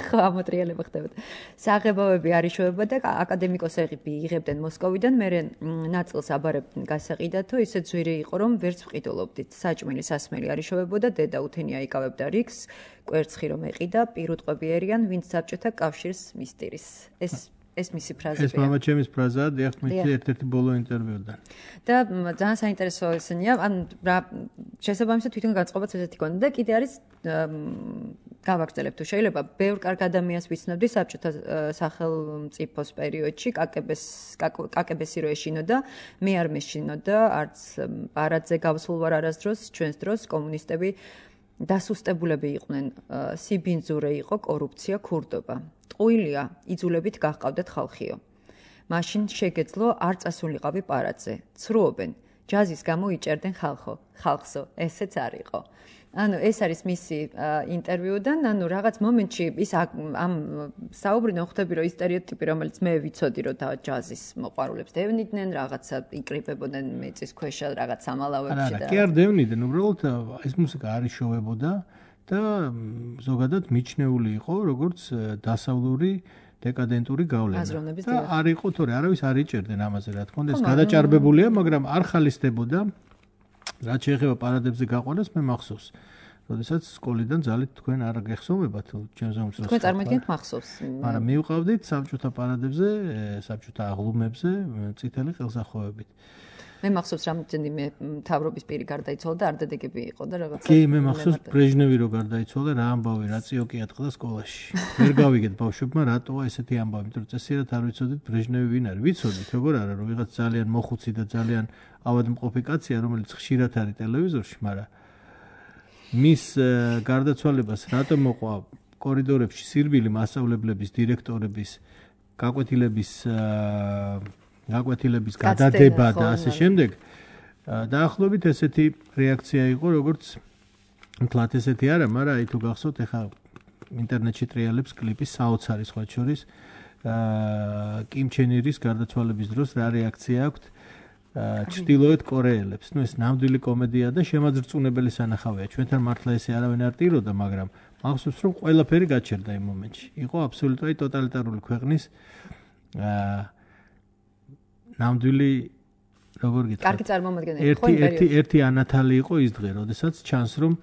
ხო, ამოტრიალება ხდებოდა. საღებავები არ იშოვებოდა და აკადემიკოს იღებდნენ მოსკოვიდან, მერე ნაწილს აბარებდნენ გასაყიდათო, ისე ძვირი იყო, რომ ვერც ვყიდულობდით. საჭმელი სასმელი არ იშოვებოდა, დედა უთენია იკავებდა რიგს, კვერცხი რომ ეყიდა, პირუტყვები ერიან, ვინც საბჭოთა კავშირს მისდირის. ეს ეს მისი ფრაზებია. ეს მამა ჩემის ფრაზაა, დიახ, მითი ერთ-ერთი ბოლო ინტერვიუდან. და ძალიან საინტერესო ესენია, ან რა შესაბამისად თვითონ განწყობაც ესეთი ქონდა და კიდე არის გავაგრძელებ თუ შეიძლება ბევრ კარგ ადამიანს ვიცნობდი საბჭოთა სახელმწიფოს პერიოდში კაკებეს კაკებესი რო ეშინოდა მე არ მეშინოდა არც პარადზე გავსულ ვარ არასდროს ჩვენს დროს კომუნისტები დასუსტებულები იყვნენ სიბინძურე იყო კორუფცია ქურდობა ტყუილია იძულებით გაჰყავდათ ხალხიო მაშინ შეგეძლო არ წასულიყავი პარადზე ცრუობენ ჯაზის გამო იჭერდნენ ხალხო ხალხსო ესეც არ იყო ანუ ეს არის მისი ინტერვიუდან, ანუ რაღაც მომენტში ის ამ საუბრიდან ხვდები, რომ ის სტერეოტიპი, რომელიც მე ვიცოდი, რომ და ჯაზის მოყვარულებს დევნიდნენ, რაღაცა იკრიბებოდნენ მეწის ქვეშა, რაღაც სამალავებში და. არა, კი არ დევნიდნენ, უბრალოდ ეს მუსიკა არ იშოვებოდა და ზოგადად მიჩნეული იყო, როგორც დასავლური დეკადენტური გავლენა. და არ იყო თორე არავის არ იჭერდნენ ამაზე, რა თქმა უნდა, ეს გადაჭარბებულია, მაგრამ არ ხალისდებოდა. რაც შეეხება პარადებზე გაყვანას, მე მახსოვს. როდესაც სკოლიდან ძალით თქვენ არ გეხსოვებათ ჩემს უმცროს. თქვენ წარმოგიდგენთ მახსოვს. მაგრამ მივყავდით საბჭოთა პარადებზე, საბჭოთა აღლუმებზე წითელი ყელსახოვებით. მე მახსოვს რამდენიმე მთავრობის პირი გარდაიცვალა და არდადეგები იყო და რაღაც. კი, მე მახსოვს ბრეჟნევი რო გარდაიცვალა, რა ამბავი, რა წიოკი ატყდა სკოლაში. ვერ გავიგეთ ბავშვებმა რატოა ესეთი ამბავი, იმიტომ რომ წესიერად არ ვიცოდით ბრეჟნევი ვინ არის. ვიცოდით, როგორ არა, რომ ვიღაც ძალიან მოხუცი და ძალიან ავადმყოფი კაცია, რომელიც ხშირად არის ტელევიზორში, მაგრამ მის გარდაცვალებას რატომ მოყვა კორიდორებში სირბილი მასწავლებლების, დირექტორების, გაკვეთილების გაკვეთილების გადადება და ასე შემდეგ. დაახლოებით ესეთი რეაქცია იყო, როგორც თლათ ესეთი არა, მაგრამ აი თუ გახსოვთ, ეხა ინტერნეტში ტრიალებს კლიპის საოცარი სხვა შორის კიმ ჩენ ირის გარდაცვალების დროს რა რეაქცია აქვთ ჩრდილოეთ კორეელებს. ნუ ეს ნამდვილი კომედია და შემაძრწუნებელი სანახავია. ჩვენთან მართლა ესე არავინ არ ტიროდა, მაგრამ მახსოვს რომ ყველაფერი გაჩერდა იმ მომენტში. იყო აბსოლუტურად ტოტალიტარული ქვეყნის ნამდვილი როგორ გითხრათ? კარგი წარმომადგენელი ხო იმ ერთი ერთი ანათალი იყო ის დღე, როდესაც ჩანს რომ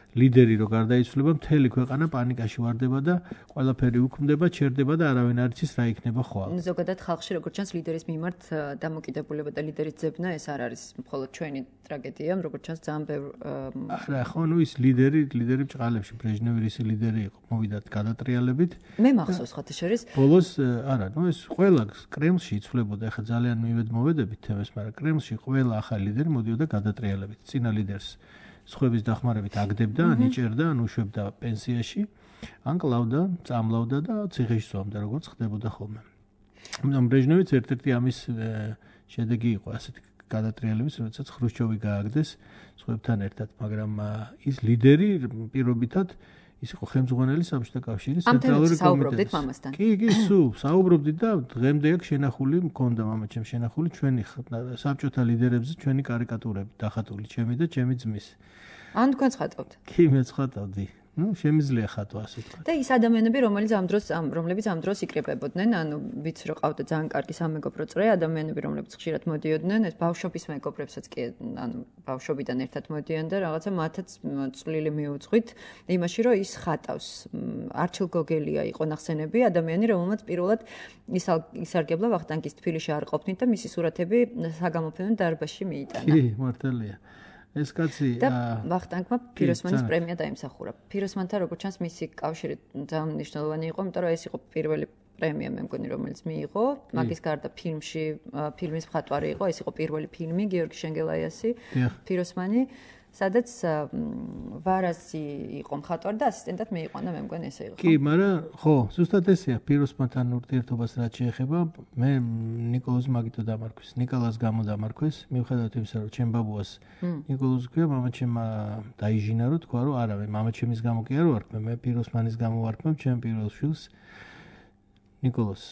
ლიდერი რო გარდაიცვლება, მთელი ქვეყანა პანიკაში ვარდება და ყველაფერი უქმდება, ჩერდება და არავინ არ იცის რა იქნება ხვალ. ზოგადად ხალხში როგორც ჩანს ლიდერის მიმართ დამოკიდებულება და ლიდერის ძებნა ეს არ არის მხოლოდ ჩვენი ტრაგედია, როგორც ჩანს ძალიან ბევრ არა, ხო, ნუ ის ლიდერი, ლიდერი ბჭყალებში ბრეჟნევი ისი ლიდერი იყო, მოვიდა გადატრიალებით. მე მახსოვს ხოთი შორის. ბოლოს არა, ნუ ეს ყველა კრემლში იცვლებოდა, ეხა ძალიან მივედმოვედებით თემას, მაგრამ კრემლში ყველა ახალი ლიდერი მოდიოდა გადატრიალებით. წინა ლიდერს სხვების დახმარებით აგდებდა, ან იჭერდა, ან უშვებდა პენსიაში, ან კლავდა, წამლავდა და ციხეში სვამდა, როგორც ხდებოდა ხოლმე. ამიტომ ბრეჟნევიც ერთ-ერთი ამის შედეგი იყო ასეთი გადატრიალების, როდესაც ხრუშჩოვი გააგდეს სხვებთან ერთად, მაგრამ ის ლიდერი პირობითად ის იყო ხელმძღვანელი საბჭოთა კავშირის ცენტრალური კომიტეტის. ამასთან. კი, კი, სულ საუბრობდით და დღემდე აქ შენახული მქონდა მამაჩემ შენახული ჩვენი საბჭოთა ლიდერებზე ჩვენი კარიკატურები დახატული, ჩემი და ჩემი ძმის. ან თქვენ ხატავთ? კი, მე ხატავდი. ნუ შემიძლია ხატვა ასე თქვა. და ის ადამიანები, რომელიც ამ დროს რომლებიც ამ დროს იკრებებოდნენ, ანუ ვიცი რომ ყავდა ძალიან კარგი სამეგობრო წრე, ადამიანები, რომლებიც ხშირად მოდიოდნენ, ეს ბავშვობის მეგობრებსაც კი, ანუ ბავშვობიდან ერთად მოდიან და რაღაცა მათაც წვლილი მიუძღვით იმაში, რომ ის ხატავს. არჩილ გოგელია იყო ნახსენები, ადამიანი, რომელმაც პირველად ისარგებლა ვახტანგის თბილისში არ ყოფნით და მისი სურათები საგამოფენო დარბაზში მიიტანა. კი, მართალია. ეს კაცი და ვახტანგმა ფიროსმანის პრემია დაიმსახურა. ფიროსმანთან როგორც ჩანს მისი კავშირი ძალიან მნიშვნელოვანი იყო, იმიტომ რომ ეს იყო პირველი პრემია მე მგონი რომელიც მიიღო. მაგის გარდა ფილმში ფილმის მხატვარი იყო, ეს იყო პირველი ფილმი გიორგი შენგელაიასი, ფიროსმანი, სადაც ვარასი იყო მხატვარი და ასისტენტად მეიყვანა, მე მგონი ესე იყო. კი, მაგრამ ხო, ზუსტად ესეა ფიროსმანთან ურთიერთობას რაც შეეხება, მე ნიკოლოზ მაგითო დამარქვის, ნიკოლას გამო დამარქვის, მიუხედავად იმისა, რომ ჩემ ბაბუას ნიკოლოზ ქვია, მამაჩემ დაიჟინა რომ თქვა, რომ არა, მე მამაჩემის გამო კი არ ვარქმევ, მე ფიროსმანის გამო ვარქმევ ჩემ პირველ შვილს ნიკოლოს.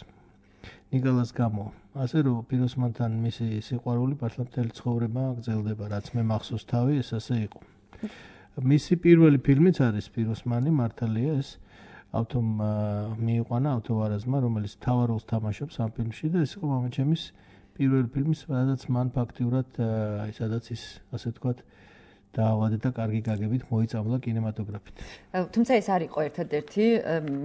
ნიკოლას გამო. ასე რომ ფიროსმანთან მისი სიყვარული მართლა მთელი ცხოვრება გრძელდება, რაც მე მახსოვს თავი, ეს ასე იყო. მისი პირველი ფილმიც არის ფიროსმანი, მართალია ეს ავტომ მიიყვანა ავტოვარაზმა, რომელიც მთავარ როლს თამაშობს ამ ფილმში და ეს იყო მამაჩემის პირველი ფილმი, სადაც მან ფაქტიურად აი სადაც ის ასე ვთქვათ დაავადდა და კარგი გაგებით მოიწამლა კინემატოგრაფით. თუმცა ეს არ იყო ერთადერთი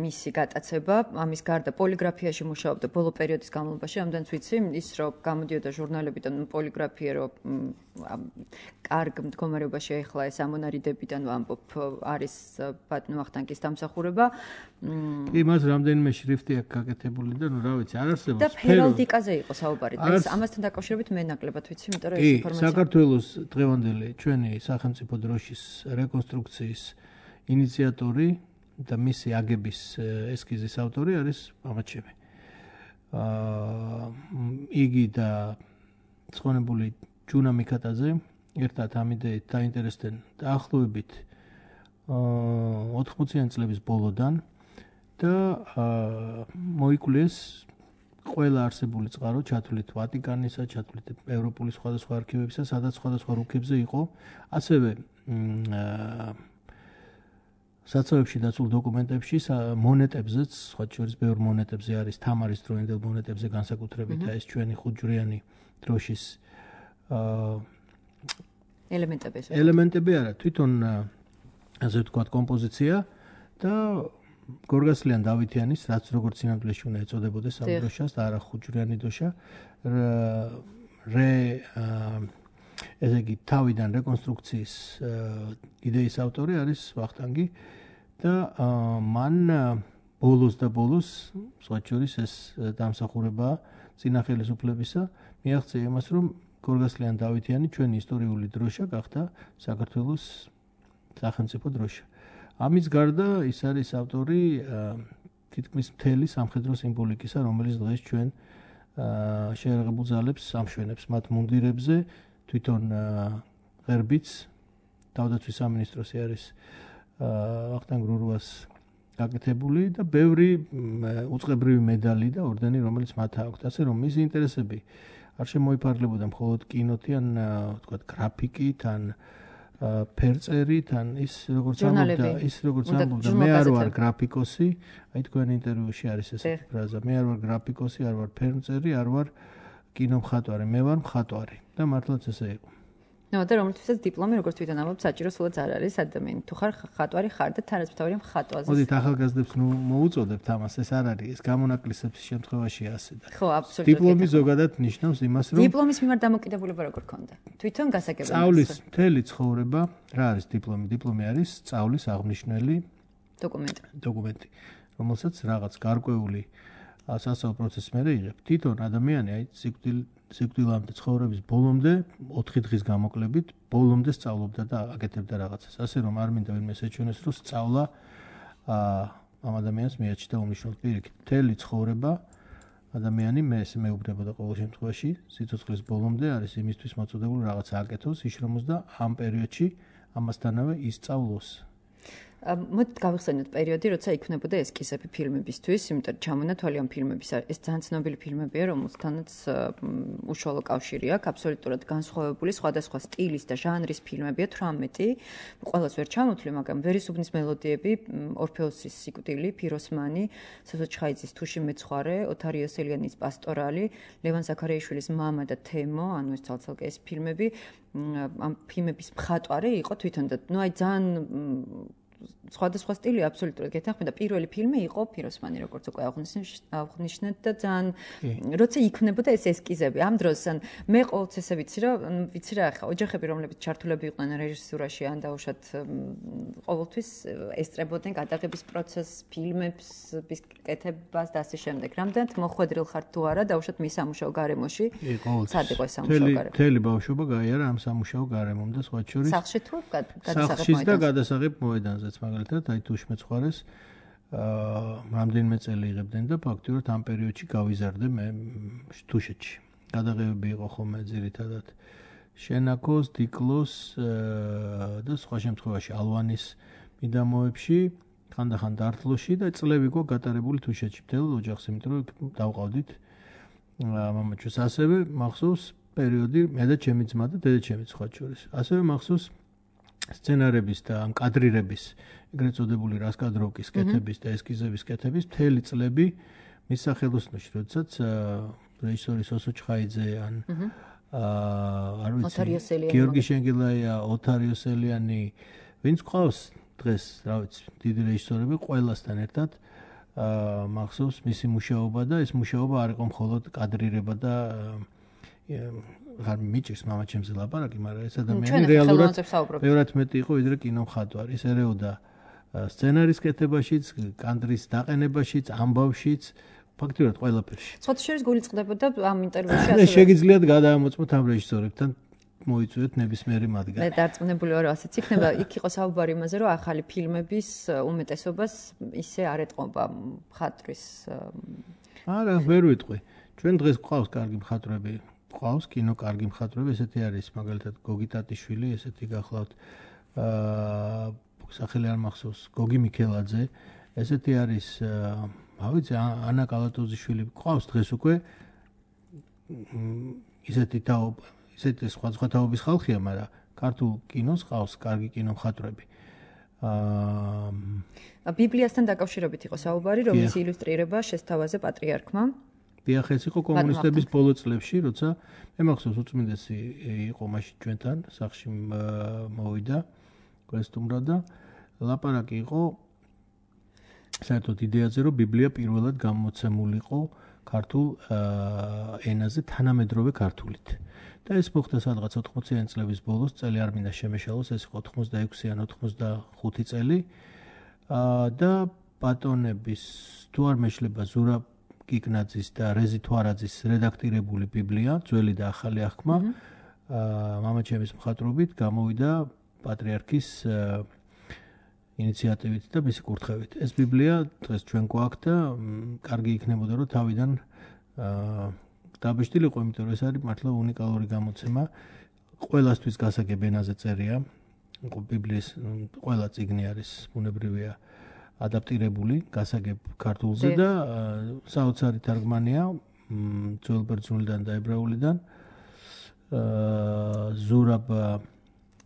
მისი გატაცება, ამის გარდა პოლიგრაფიაში მუშაობდა ბოლო პერიოდის განმავლობაში, ამდენც ვიცი, ის რომ გამოდიოდა ჟურნალებიდან პოლიგრაფია რომ კარგ მდგომარეობაში ახლა ეს ამონარიდებიდან ვამბობ არის ბატონ ვახტანგის დამსახურება. კი, მას რამდენიმე შრიფტი აქვს გაკეთებული და ნუ რა ვიცი, არ არსებობს. და ჰერალდიკაზე იყო საუბარი. ეს ამასთან დაკავშირებით მე ნაკლებად ვიცი, იმიტომ რომ ეს ინფორმაცია. კი, საქართველოს დღევანდელი ჩვენი სახელმწიფო დროშის რეკონსტრუქციის ინიციატორი და მისი აგების ესკიზის ავტორი არის მამაჩემი. აა იგი და ცხონებული ჯუნა მიქატაძე ერთად ამ იდეით დაინტერესდნენ დაახლოებით ოთხმოციანი წლების ბოლოდან და მოიკვლეს ყველა არსებული წყარო ჩათვლით ვატიკანისა, ჩათვლით ევროპული სხვადასხვა არქივებისა, სადაც სხვადასხვა რუკებზე იყო, ასევე საცავებში დაცულ დოკუმენტებში, მონეტებზეც, სხვა შორის ბევრ მონეტებზე არის თამარის დროინდელ მონეტებზე განსაკუთრებით ეს ჩვენი ხუთჯვრიანი დროშის ელემენტები ეს. ელემენტები არა, თვითონ ასე ვთქვათ კომპოზიცია და გორგასლიან დავითიანის, რაც როგორც სინამდვილეში უნდა ეწოდებოდეს ამ დროშას და არა ხუთჯვრიანი დროშა, რე ესე იგი თავიდან რეკონსტრუქციის იდეის ავტორი არის ვახტანგი და მან ბოლოს და ბოლოს სხვა შორის ეს დამსახურება წინა ხელისუფლებისა მიაღწია იმას, რომ გორგასლიან დავითიანი ჩვენი ისტორიული დროშა გახდა საქართველოს სახელმწიფო დროშა. ამის გარდა ის არის ავტორი თითქმის მთელი სამხედრო სიმბოლიკისა, რომელიც დღეს ჩვენ შეერაღებულ ძალებს ამშვენებს მათ მუნდირებზე, თვითონ ღერბიც თავდაცვის სამინისტროსი არის ვახტანგ რურუას გაკეთებული და ბევრი უწყებრივი медаლი და ორდენი, რომელიც მათ აქვთ. ასე რომ მისი ინტერესები არ შემოიფარგლებოდა მხოლოდ კინოთი, ან თქვა გრაფიკით, ან ფერწერით, ან ის როგორც ამბობდა, ის როგორც ამბობდა, მე არ ვარ გრაფიკოსი, აი თქვენ ინტერვიუში არის ესეთი ფრაზა, მე არ ვარ გრაფიკოსი, არ ვარ ფერწერი, არ ვარ კინომხატვარი, მე ვარ მხატვარი და მართლაც ესე იყო. ნუ და რომელთვისაც დიპლომი როგორც თვითონ ამბობ საჭირო სულაც არ არის ადამიანი თუ ხარ ხატვარი ხარ და თანასწორია მხატვაზე. მოდით ახალგაზრდებს ნუ მოუწოდებთ ამას, ეს არ არის, ეს გამონაკლისების შემთხვევაში ასე და. ხო, აბსოლუტურად. დიპლომი ზოგადად ნიშნავს იმას, რომ დიპლომის მიმართ დამოკიდებულება როგორ ქონდა? თვითონ გასაგებია. სწავლის მთელი ცხოვრება, რა არის დიპლომი? დიპლომი არის სწავლის აღნიშნული დოკუმენტი. დოკუმენტი, რომელსაც რაღაც გარკვეული სასწავლო პროცესს მერე იღებ. თვითონ ადამიანი აი სიკვდილ სიკვდილამდე ცხოვრების ბოლომდე ოთხი დღის გამოკლებით ბოლომდე სწავლობდა და აკეთებდა რაღაცას. ასე რომ არ მინდა ვინმე შეჩვენოს, რომ სწავლა ამ ადამიანს მიაჩნდა უმნიშვნელო პირიქით. მთელი ცხოვრება ადამიანი მე ესე მეუბნებოდა ყოველ შემთხვევაში სიცოცხლის ბოლომდე არის იმისთვის მოწოდებული რაღაცა აკეთოს, იშრომოს და ამ პერიოდში ამასთანავე ისწავლოს. მოდით გავიხსენოთ პერიოდი, როცა იქმნებოდა ესკიზები ფილმებისთვის, იმიტომ რომ ჩამონა თვალი ამ ფილმების ეს ძალიან ცნობილი ფილმებია, რომელთანაც უშუალო კავშირი აქვს, აბსოლუტურად განსხვავებული სხვადასხვა სტილის და ჟანრის ფილმებია, თვრამეტი. ყველას ვერ ჩამოთვლი, მაგრამ ვერისუბნის მელოდიები, ორფეოსის სიკვდილი, ფიროსმანი, სოსო ჩხაიძის თუში მეცხვარე, ოთარ იოსელიანის პასტორალი, ლევან ზაქარიაშვილის მამა და თემო, ანუ ეს ცალ-ცალკე ეს ფილმები ამ ფილმების მხატვარი იყო თვითონ და ნუ აი ძალიან სხვადასხვა სტილი აბსოლუტურად გეთანხმება. პირველი ფილმი იყო ფიროსმანი, როგორც უკვე აღნიშნეთ და ძალიან როცა იქმნებოდა ეს ესკიზები. ამ დროს ან მე ყოველთვის ესე ვიცი, რომ ვიცი რა ხა, ოჯახები, რომლებიც ჩართულები იყვნენ რეჟისურაში, ან დაუშვათ ყოველთვის ესწრებოდნენ გადაღების პროცესს, ფილმების კეთებას და ასე შემდეგ. რამდენად მოხვედრილ ხართ თუ არა, დაუშვათ მის სამუშაო გარემოში? სად იყო ეს სამუშაო გარემო? მთელი ბავშვობა გაიარა ამ სამუშაო გარემომ და სხვა შორის სახლში თუ გადასაღებ სახლში და გადასაღებ მოედანზე. მაგალითად, აი თუშ მეცხვარეს აა რამდენიმე წელი იღებდნენ და ფაქტიურად ამ პერიოდში გავიზარდე მე თუშეთში. გადაღებები იყო ხოლმე ძირითადად შენაკოს, დიკლოს და სხვა შემთხვევაში ალვანის მიდამოებში, ხანდახან დართლოში და წლები გო გატარებული თუშეთში მთელ ოჯახს, იმიტომ რომ დავყავდით მამაჩუს. ასევე მახსოვს პერიოდი მე და ჩემი ძმა და დედაჩემი სხვა შორის. ასევე მახსოვს სცენარების და ამ კადრირების, ეგრეთ წოდებული რასკადროვკის კეთების და ესკიზების კეთების მთელი წლები მის სახელოსნოში, როდესაც რეჟისორი სოსო ჩხაიძე ან აა არ ვიცი, გიორგი შენგელაია, ოთარ იოსელიანი, ვინც ყავს დღეს, რა ვიცი, დიდი რეჟისორები ყველასთან ერთად აა მახსოვს მისი მუშაობა და ეს მუშაობა არ იყო მხოლოდ კადრირება და არ მიჭირს მამაჩემზე ლაპარაკი, მაგრამ ეს ადამიანი რეალურად ბევრად მეტი იყო ვიდრე კინომხატვარი. ის ერეოდა სცენარის კეთებაშიც, კადრის დაყენებაშიც, ამბავშიც, ფაქტიურად ყველაფერში. სხვა შორის გულიწყდებოდა ამ ინტერვიუში ასე. მე შეგიძლიათ გადაამოწმოთ ამ რეჟისორებთან მოიწვიოთ ნებისმიერი მათგანი. მე დარწმუნებული ვარ, ასეც იქნება. იქ იყო საუბარი იმაზე, რომ ახალი ფილმების უმეტესობას ისე არ ეტყობა მხატვრის. არა, ვერ ვიტყვი. ჩვენ დღეს გვყავს კარგი მხატვრები. ყავს კინო კარგი მხატვრები, ესეთი არის მაგალითად გოგი ტატიშვილი, ესეთი გახლავთ აა სახელი არ მახსოვს, გოგი მიქელაძე, ესეთი არის რა ვიცი, ანა კალატოზიშვილი, ყავს დღეს უკვე ისეთი თაობა, ისეთი სხვა სხვა თაობის ხალხია, მაგრამ ქართულ კინოს ყავს კარგი კინო მხატვრები. აა ბიბლიასთან დაკავშირებით იყო საუბარი, რომლის ილუსტრირება შესთავაზე პატრიარქმა. დიახ, ეს იყო კომუნისტების ბოლო წლებში, როცა მე მახსოვს უწმინდესი იყო მაშინ ჩვენთან, სახლში მოვიდა კვესტუმრა და ლაპარაკი იყო საერთოდ იდეაზე, რომ ბიბლია პირველად გამოცემულიყო ქართულ ენაზე თანამედროვე ქართულით. და ეს მოხდა სადღაც ოთხმოციანი წლების ბოლოს, წელი არ მინდა შემეშალოს, ეს იყო ოთხმოცდაექვსი ან ოცდახუთი წელი. და ბატონების თუ არ მეშლება ზურაბ კიკნაძის და რეზი თვარაძის რედაქტირებული ბიბლია, ძველი და ახალი აღქმა, მამაჩემის მხატვრობით გამოვიდა პატრიარქის ინიციატივით და მისი კურთხევით. ეს ბიბლია დღეს ჩვენ გვაქვს და კარგი იქნებოდა, რომ თავიდან დაბეჭდილიყო, იმიტომ რომ ეს არის მართლა უნიკალური გამოცემა. ყველასთვის გასაგებ ენაზე წერია. ბიბლიის ყველა წიგნი არის ბუნებრივია ადაპტირებული გასაგებ ქართულზე და საოცარი თარგმანია ძველ ბერძნულიდან და ებრაულიდან. ზურაბ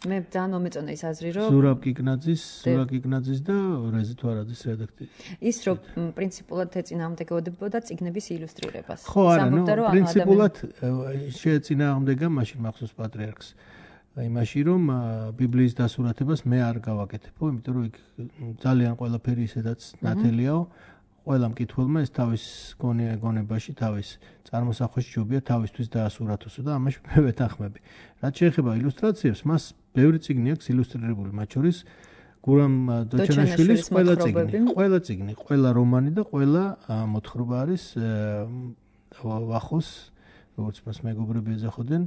მე ძალიან მომეწონა ის აზრი, რომ ზურაბ კიკნაძის, ზურაბ კიკნაძის და რეზი თვარაძის რედაქტორი. ის რომ პრინციპულად ეწინააღმდეგებოდა წიგნების ილუსტრირებას. ხო, არა, ნუ პრინციპულად შეეწინააღმდეგა მაშინ მახსოვს პატრიარქს. იმაში რომ ბიბლიის დასურათებას მე არ გავაკეთებო, იმიტომ რომ იქ ძალიან ყველაფერი ისედაც ნათელიაო. ყველა მკითხველმა ეს თავის გონებაში, თავის წარმოსახვაში ჯობია თავისთვის დაასურათოსო და ამაში მე ვეთანხმები. რაც შეეხება ილუსტრაციებს, მას ბევრი წიგნი აქვს ილუსტრირებული, მათ შორის გურამ დოჩანაშვილის ყველა წიგნი, ყველა წიგნი, ყველა რომანი და ყველა მოთხრობა არის ვახოს, როგორც მას მეგობრები ეძახოდნენ.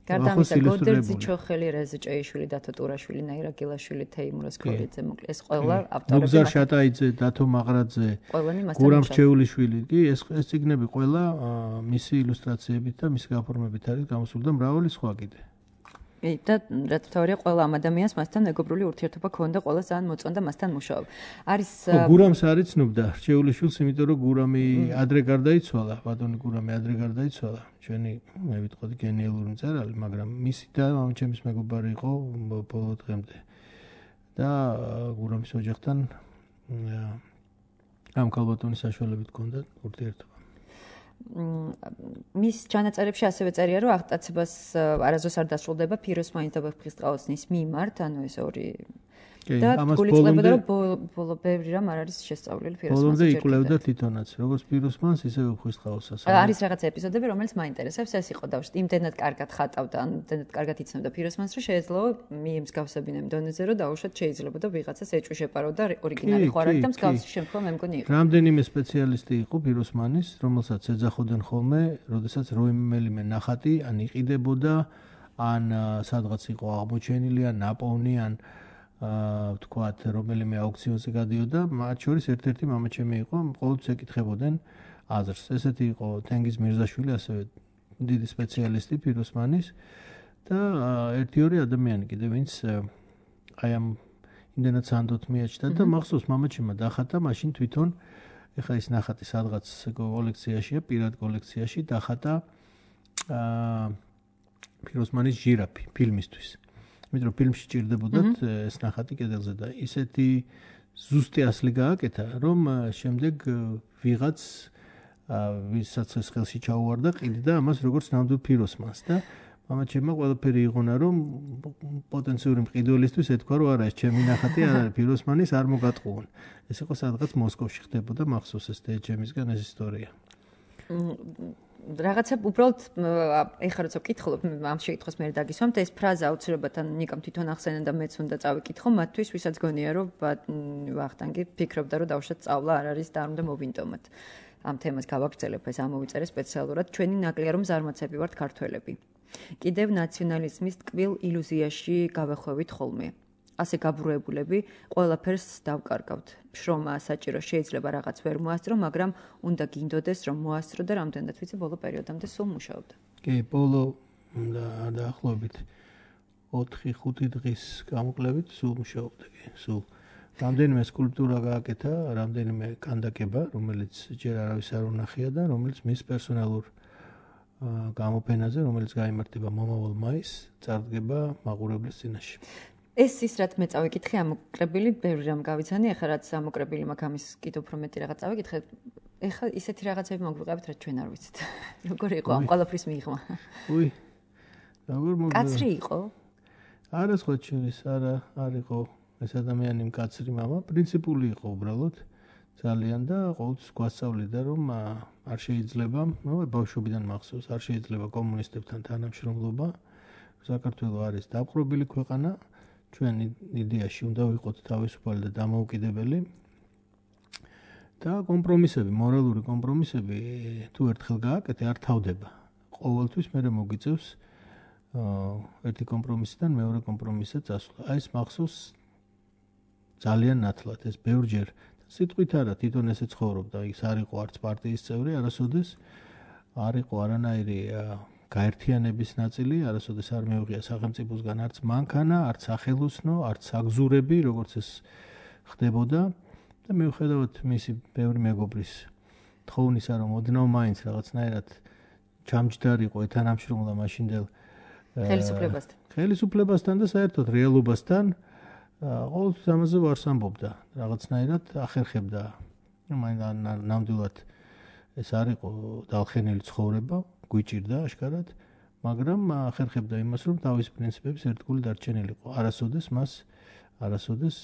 გარდა ამისა, გოდერძი ჩოხელი, რეზი ჭეიშვილი, დათო ტურაშვილი, ნაირა გილაშვილი, თეიმურაზ ქორიძე, მოკლედ ეს ყველა ავტორები. მოგზარ შატაიძე, დათო მაღრაძე, გურამ რჩეულიშვილი, კი ეს ეს წიგნები ყველა მისი ილუსტრაციებით და მისი გაფორმებით არის გამოსული და მრავალი სხვა კიდე. და რაც თავია ყველა ამ ადამიანს მასთან მეგობრული ურთიერთობა ქონდა, ყველა ძალიან მოწონდა მასთან მუშაობა. არის გურამს არ იცნობდა რჩეულიშვილს, იმიტომ რომ გურამი ადრე გარდაიცვალა, ბატონი გურამი ადრე გარდაიცვალა. ჩვენი მე ვიტყოდი გენიალური მწერალი, მაგრამ მისი და ამ ჩემის მეგობარი იყო ბოლო დღემდე. და გურამის ოჯახთან ამ ქალბატონის საშუალებით ქონდა ურთიერთობა. მის ჩანაწერებში ასევე წერია, რომ აღტაცებას არასდროს არ დასრულდება ფიროსმანის და ვეფხისტყაოსნის მიმართ, ანუ ეს ორი და გულისხმობდა, რომ ბოლო ბევრი რამ არ არის შესწავლილი ფიროსმანს. ბოლომდე იკვლევდა თვითონაც, როგორც ფიროსმანს, ისე ვეფხისტყაოსას. არის რაღაცა ეპიზოდები, რომელიც მაინტერესებს, ეს იყო და იმდენად კარგად ხატავდა, იმდენად კარგად იცნობდა ფიროსმანს, რომ შეეძლო მიემსგავსებინე დონეზე, რომ დაუშვათ შეიძლება და ვიღაცას ეჭვი შეპარო და ორიგინალი ხო არ არის და მსგავსი შემდგომ მე მგონი იყო. რამდენიმე სპეციალისტი იყო ფიროსმანის, რომელსაც ეძახოდნენ ხოლმე, როდესაც რომელიმე ნახატი ან იყიდებოდა, ან სადღაც იყო აღმოჩენილი, ან ნაპოვნი, ან აა ვთქვათ, რომელიმე აუქციონზე გადიოდა, მათ შორის ერთ-ერთი მამაჩემი იყო, ყოველთვის ეკითხებოდნენ აზრს. ესეთი იყო თენგიზ მირზაშვილი, ასევე დიდი სპეციალისტი ფიროსმანის და ერთი ორი ადამიანი კიდე, ვინც აი ამ იმდენად სანდოთ მიაჩნდა და მახსოვს მამაჩემმა დახატა მაშინ თვითონ, ეხლა ის ნახატი სადღაც კოლექციაშია, პირად კოლექციაში დახატა აა ფიროსმანის ჟირაფი ფილმისთვის. იმიტომ რომ ფილმში ჭირდებოდათ ეს ნახატი კედელზე და ისეთი ზუსტი ასლი გააკეთა, რომ შემდეგ ვიღაც ვისაც ეს ხელში ჩაუვარდა, ყიდდა ამას როგორც ნამდვილ ფიროსმანს და მამაჩემმა ყველაფერი იღონა, რომ პოტენციური მყიდველისთვის ეთქვა, რომ არა, ეს ჩემი ნახატი არ არის ფიროსმანის, არ მოგატყუონ. ეს იყო სადღაც მოსკოვში ხდებოდა, მახსოვს ეს თეჯემისგან ეს ისტორია. რაღაცა უბრალოდ ეხლა როცა ვკითხულობ ამ შეკითხვას მე დაგისვამთ ეს ფრაზა აუცილებლად ან ნიკამ თვითონ ახსენა და მეც უნდა წავიკითხო მათთვის ვისაც გონია რომ ვახტანგი ფიქრობდა რომ დავუშვათ სწავლა არ არის და არ უნდა მოვინდომოთ ამ თემას გავაგრძელებ ეს ამოვიწერე სპეციალურად ჩვენი ნაკლია რომ ზარმაცები ვართ ქართველები კიდევ ნაციონალიზმის ტკბილ ილუზიაში გავეხვევით ხოლმე ასე გაბრუებულები ყველაფერს დავკარგავთ. შრომა საჭირო შეიძლება რაღაც ვერ მოასწრო, მაგრამ უნდა გინდოდეს რომ მოასწრო და რამდენად ვიცი ბოლო პერიოდამდე სულ მუშაობდა. კი, ბოლო და დაახლოებით ოთხი ხუთი დღის გამოკლებით სულ მუშაობდა, კი, სულ. რამდენიმე სკულპტურა გააკეთა, რამდენიმე კანდაკება, რომელიც ჯერ არავის არ უნახია და რომელიც მის პერსონალურ გამოფენაზე, რომელიც გაიმართება მომავალ მაისს, წარდგება მაყურებლის წინაშე. ეს ის რაც მე წავიკითხე ამოკრებილი, ბევრი რამ გავიცანი, ახლა რაც ამოკრებილი მაქვს ამის კიდევ უფრო მეტი რაღაც წავიკითხე. ეხლა ისეთი რაღაცები მოგვიყევით, რაც ჩვენ არ ვიცით. როგორ იყო ამ ყველაფრის მიღმა? უი. როგორ მოგვიყევით? კაცრი იყო? არა სხვა ჩვენის, არა, არ იყო ეს ადამიანი მკაცრი მამა, პრინციპული იყო უბრალოდ ძალიან და ყოველთვის გვასწავლიდა რომ არ შეიძლება, ნუ ბავშვობიდან მახსოვს, არ შეიძლება კომუნისტებთან თანამშრომლობა. საქართველო არის დაპყრობილი ქვეყანა. ჩვენ იდეაში უნდა ვიყოთ თავისუფალი და დამოუკიდებელი და კომპრომისები, მორალური კომპრომისები თუ ერთხელ გააკეთე, არ თავდება. ყოველთვის მე მოგიწევს ერთი კომპრომისიდან მეორე კომპრომისზე წასვლა. აი ეს მახსოვს ძალიან ნათლად, ეს ბევრჯერ სიტყვით არა, თვითონ ესე ცხოვრობდა, ის არ იყო არც პარტიის წევრი, არასოდეს არ იყო არანაირი გაერთიანების ნაწილი, არასოდეს არ მეუღია სახელმწიფოსგან არც მანქანა, არც სახელოსნო, არც აგზურები, როგორც ეს ხდებოდა და მიუხედავად მისი ბევრი მეგობრის თხოვნისა, რომ ოდნავ მაინც რაღაცნაირად ჩამჯდარიყო ეთანამშრომლა მაშინდელ ხელისუფლებასთან. ხელისუფლებასთან და საერთოდ რეალობასთან ყოველთვის ამაზე ვარს ამბობდა, რაღაცნაირად ახერხებდა. ნამდვილად ეს არ იყო დალხენილი ცხოვრება, გვიჭირდა აშკარად, მაგრამ ახერხებდა იმას, რომ თავის პრინციპების ერთგული დარჩენილიყო. არასოდეს მას, არასოდეს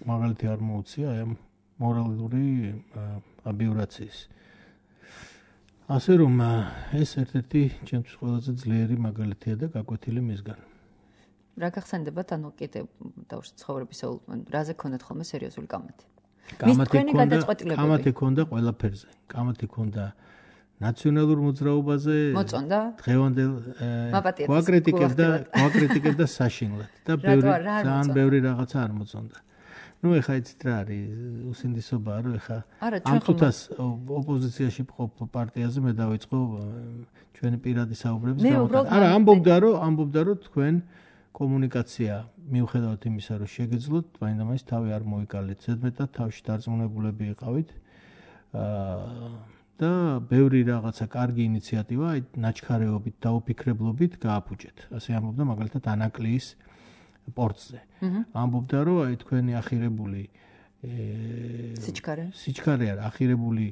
მაგალითი არ მოუწია ამ მორალური აბიურაციის. ასე რომ ეს ერთ-ერთი ჩემთვის ყველაზე ძლიერი მაგალითია და გაკვეთილი მისგან. რა გახსენდებათ, ანუ კიდე დავუშვით ცხოვრებისეულ, რაზე ქონდათ ხოლმე სერიოზული კამათი? კამათი ქონდა ყველაფერზე. კამათი ქონდა ნაციონალურ მოძრაობაზე, მოწონდა? დღევანდელ გვაკრიტიკებდა, გვაკრიტიკებდა საშინლად და ძალიან ბევრი რაღაცა არ მოწონდა. ნუ ეხა იცით რა არის უსინდისობა, რომ ეხა ამ თუთას ოპოზიციაში მყოფ პარტიაზე მე დავიწყო ჩვენი პირადი საუბრების გამოტანა. არა, ამბობდა რომ ამბობდა რომ თქვენ კომუნიკაცია მიუხედავად იმისა, რომ შეგეძლოთ, მაინდამაინც თავი არ მოიკალეთ. ზედმეტად თავში დარწმუნებულები იყავით. და ბევრი რაღაცა კარგი ინიციატივა, აი ნაჩქარეობით და უფიქრებლობით გააფუჭეთ. ასე ამბობდა მაგალითად ანაკლიის პორტზე. ამბობდა რომ აი თქვენი ახირებული სიჩქარე. სიჩქარე არა, ახირებული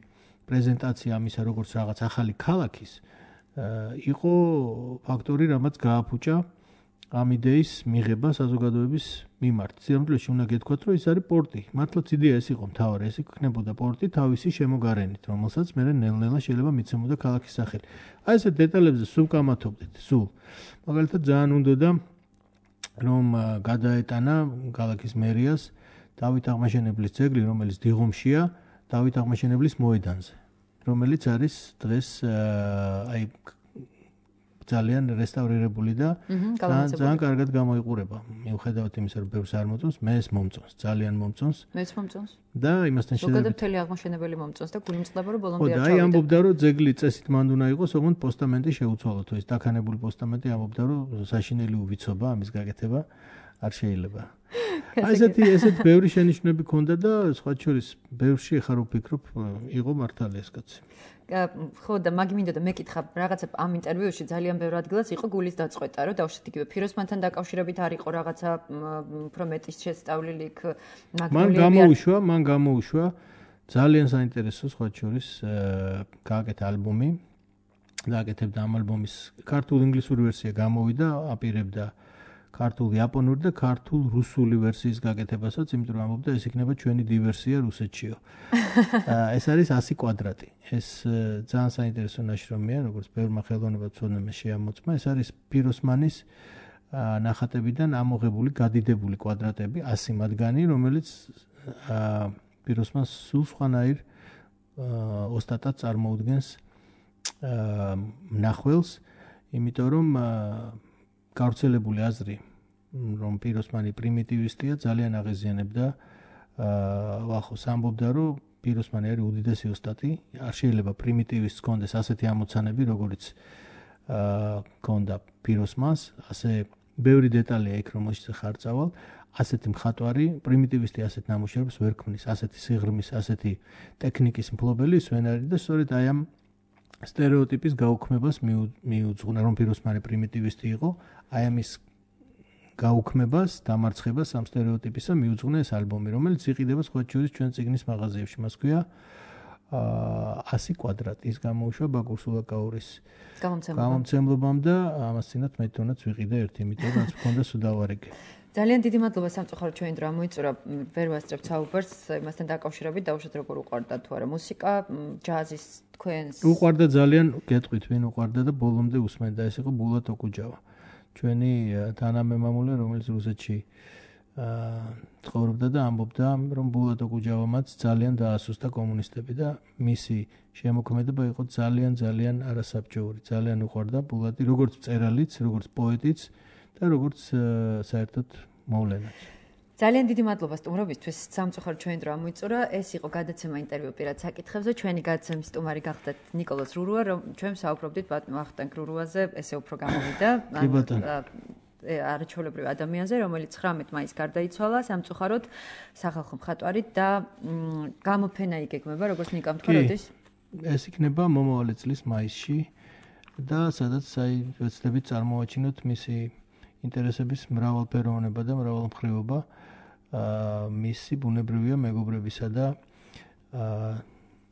პრეზენტაცია ამისა როგორც რაღაც ახალი ქალაქის იყო ფაქტორი, რამაც გააფუჭა ამ იდეის მიღება საზოგადოების მიმართ. სიამოვნებაში უნდა გეთქვათ, რომ ის არის პორტი. მართლაც იდეა ეს იყო მთავარი, ეს იქნებოდა პორტი თავისი შემოგარენით, რომელსაც მე ნელ-ნელა შეიძლება მიცემოდა ქალაქის სახელი. აი ესე დეტალებზე სულ კამათობდეთ, სულ. მაგალითად ძალიან უნდოდა რომ გადაეტანა ქალაქის მერიას დავით აღმაშენებლის ძეგლი, რომელიც დიღომშია, დავით აღმაშენებლის მოედანზე, რომელიც არის დღეს აი ძალიან რესტავრირებული და ძალიან კარგად გამოიყურება. მიუხედავად იმისა, რომ ბევრს არ მოწონს, მე ეს მომწონს, ძალიან მომწონს. მეც მომწონს. და იმასთან შედარებით ზოგადად მთელი აღმაშენებელი მომწონს და გული მწყდება, რომ ბოლომდე არ ჩავიდა. აი ამბობდა, რომ ძეგლი წესით მანდ უნდა იყოს, ოღონდ პოსტამენტი შეუცვალოთ. ეს დაქანებული პოსტამენტი ამბობდა, რომ საშინელი უვიცობა ამის გაკეთება არ შეიძლება. აი ესეთი ესეთ ბევრი შენიშვნები ქონდა და სხვა შორის ბევრში ხარ ვფიქრობ, იყო მართალი ეს კაცი. ხო და მაგ მინდა და მეკითხა რაღაცა ამ ინტერვიუში ძალიან ბევრ ადგილას იყო გულის დაწყვეტა, რომ დავუშვით იგივე ფიროსმანთან დაკავშირებით არ იყო რაღაცა უფრო მეტის შესწავლილი იქ მან გამოუშვა, მან გამოუშვა ძალიან საინტერესო სხვა შორის გააკეთა ალბომი. გააკეთებდა ამ ალბომის ქართულ-ინგლისური ვერსია გამოვიდა, აპირებდა ქართულ იაპონური და ქართულ რუსული ვერსიის გაკეთებასაც, იმიტომ რომ ამბობდა ეს იქნება ჩვენი დივერსია რუსეთშიო. ეს არის ასი კვადრატი. ეს ძალიან საინტერესო ნაშრომია, როგორც ბევრმა ხელოვნებაცოდნემ შეამოწმა. ეს არის ფიროსმანის ნახატებიდან ამოღებული, გადიდებული კვადრატები, ასი მათგანი, რომელიც ფიროსმანს სულ სხვანაირ ოსტატად წარმოუდგენს მნახველს, იმიტომ რომ გავრცელებული აზრი, რომ ფიროსმანი პრიმიტივისტია, ძალიან აღიზიანებდა ვახოს ამბობდა, რომ ფიროსმანი არის უდიდესი ოსტატი, არ შეიძლება პრიმიტივისტს კონდეს ასეთი ამოცანები, როგორც კონდა ფიროსმანს, ასე ბევრი დეტალია იქ, რომელშიც ხარ წავალ, ასეთი მხატვარი, პრიმიტივისტი ასეთ ნამუშევრებს ვერ ქმნის, ასეთი სიღრმის, ასეთი ტექნიკის მფლობელი ვენ არის და სწორედ აი ამ სტერეოტიპის გაუქმებას მიუძღვნა, რომ ფიროსმანი პრიმიტივისტი იყო, აი ამის გაუქმებას, დამარცხებას ამ სტერეოტიპისა მიუძღვნა ეს ალბომი, რომელიც იყიდება სხვა შორის ჩვენ წიგნის მაღაზიებში. მას ქვია ასი კვადრატი. ის გამოუშვა ბაკურ სულაკაურის გამომცემლობამ და ამას წინათ მე თვითონაც ვიყიდე ერთი, იმიტომ რომ რაც მქონდა სუდავარიგე. ძალიან დიდი მადლობა სამწუხაროდ ჩვენი დრო ამოიწურა, ვერ ვასწრებთ საუბარს იმასთან დაკავშირებით, დავუშვით როგორ უყვარდა თუ არა მუსიკა, ჯაზის თქვენს. უყვარდა ძალიან, გეტყვით ვინ უყვარდა და ბოლომდე უსმენდა, ეს იყო ბულატ ოკუჯავა. ჩვენი თანამემამულე, რომელიც რუსეთში ცხოვრობდა და ამბობდა, რომ ბულატ ოკუჯავამაც ძალიან დაასუსტა კომუნისტები და მისი შემოქმედება იყო ძალიან ძალიან არასაბჭოური. ძალიან უყვარდა ბულატი, როგორც მწერალიც, როგორც პოეტიც და როგორც საერთოდ მოვლენაც. ძალიან დიდი მადლობა სტუმრობისთვის. სამწუხაროდ ჩვენი დრო ამოიწურა. ეს იყო გადაცემა ინტერვიუ პირად საკითხებზე. ჩვენი გადაცემის სტუმარი გახდათ ნიკოლოზ რურუა, რომ ჩვენ საუბრობდით ბატონ ვახტანგ რურუაზე, ესე უფრო გამოვიდა. არაჩვეულებრივ ადამიანზე, რომელიც ცხრამეტ მაისს გარდაიცვალა სამწუხაროდ სახალხო მხატვარით და გამოფენა იგეგმება, როგორც ნიკამ თქვა, როდის? ეს იქნება მომავალი წლის მაისში და სადაც აი ვეცდებით წარმოვაჩინოთ მისი ინტერესების მრავალფეროვნება და მრავალმხრივობა, მისი ბუნებრივია მეგობრებისა და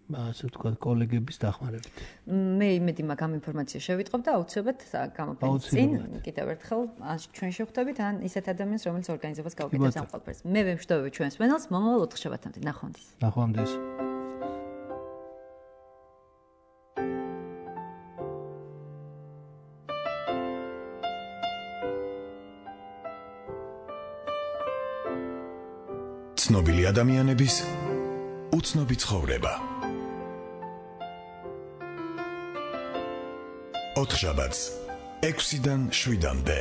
ასე ვთქვათ, კოლეგების დახმარებით. მე იმედი მაქვს ამ ინფორმაცია შევიტყობ და აუცილებლად გამოფენის წინ კიდევ ერთხელ ჩვენ შევხვდებით ან ისეთ ადამიანს, რომელიც ორგანიზებას გაუკეთებს ამ ყველაფერს. მე ვემშვიდობები ჩვენს მენელს, მომავალ ოთხშაბათამდე. ნახვამდის. ნახვამდის. ცნობილი ადამიანების უცნობი ცხოვრება. ოთხშაბათს ექვსიდან შვიდამდე.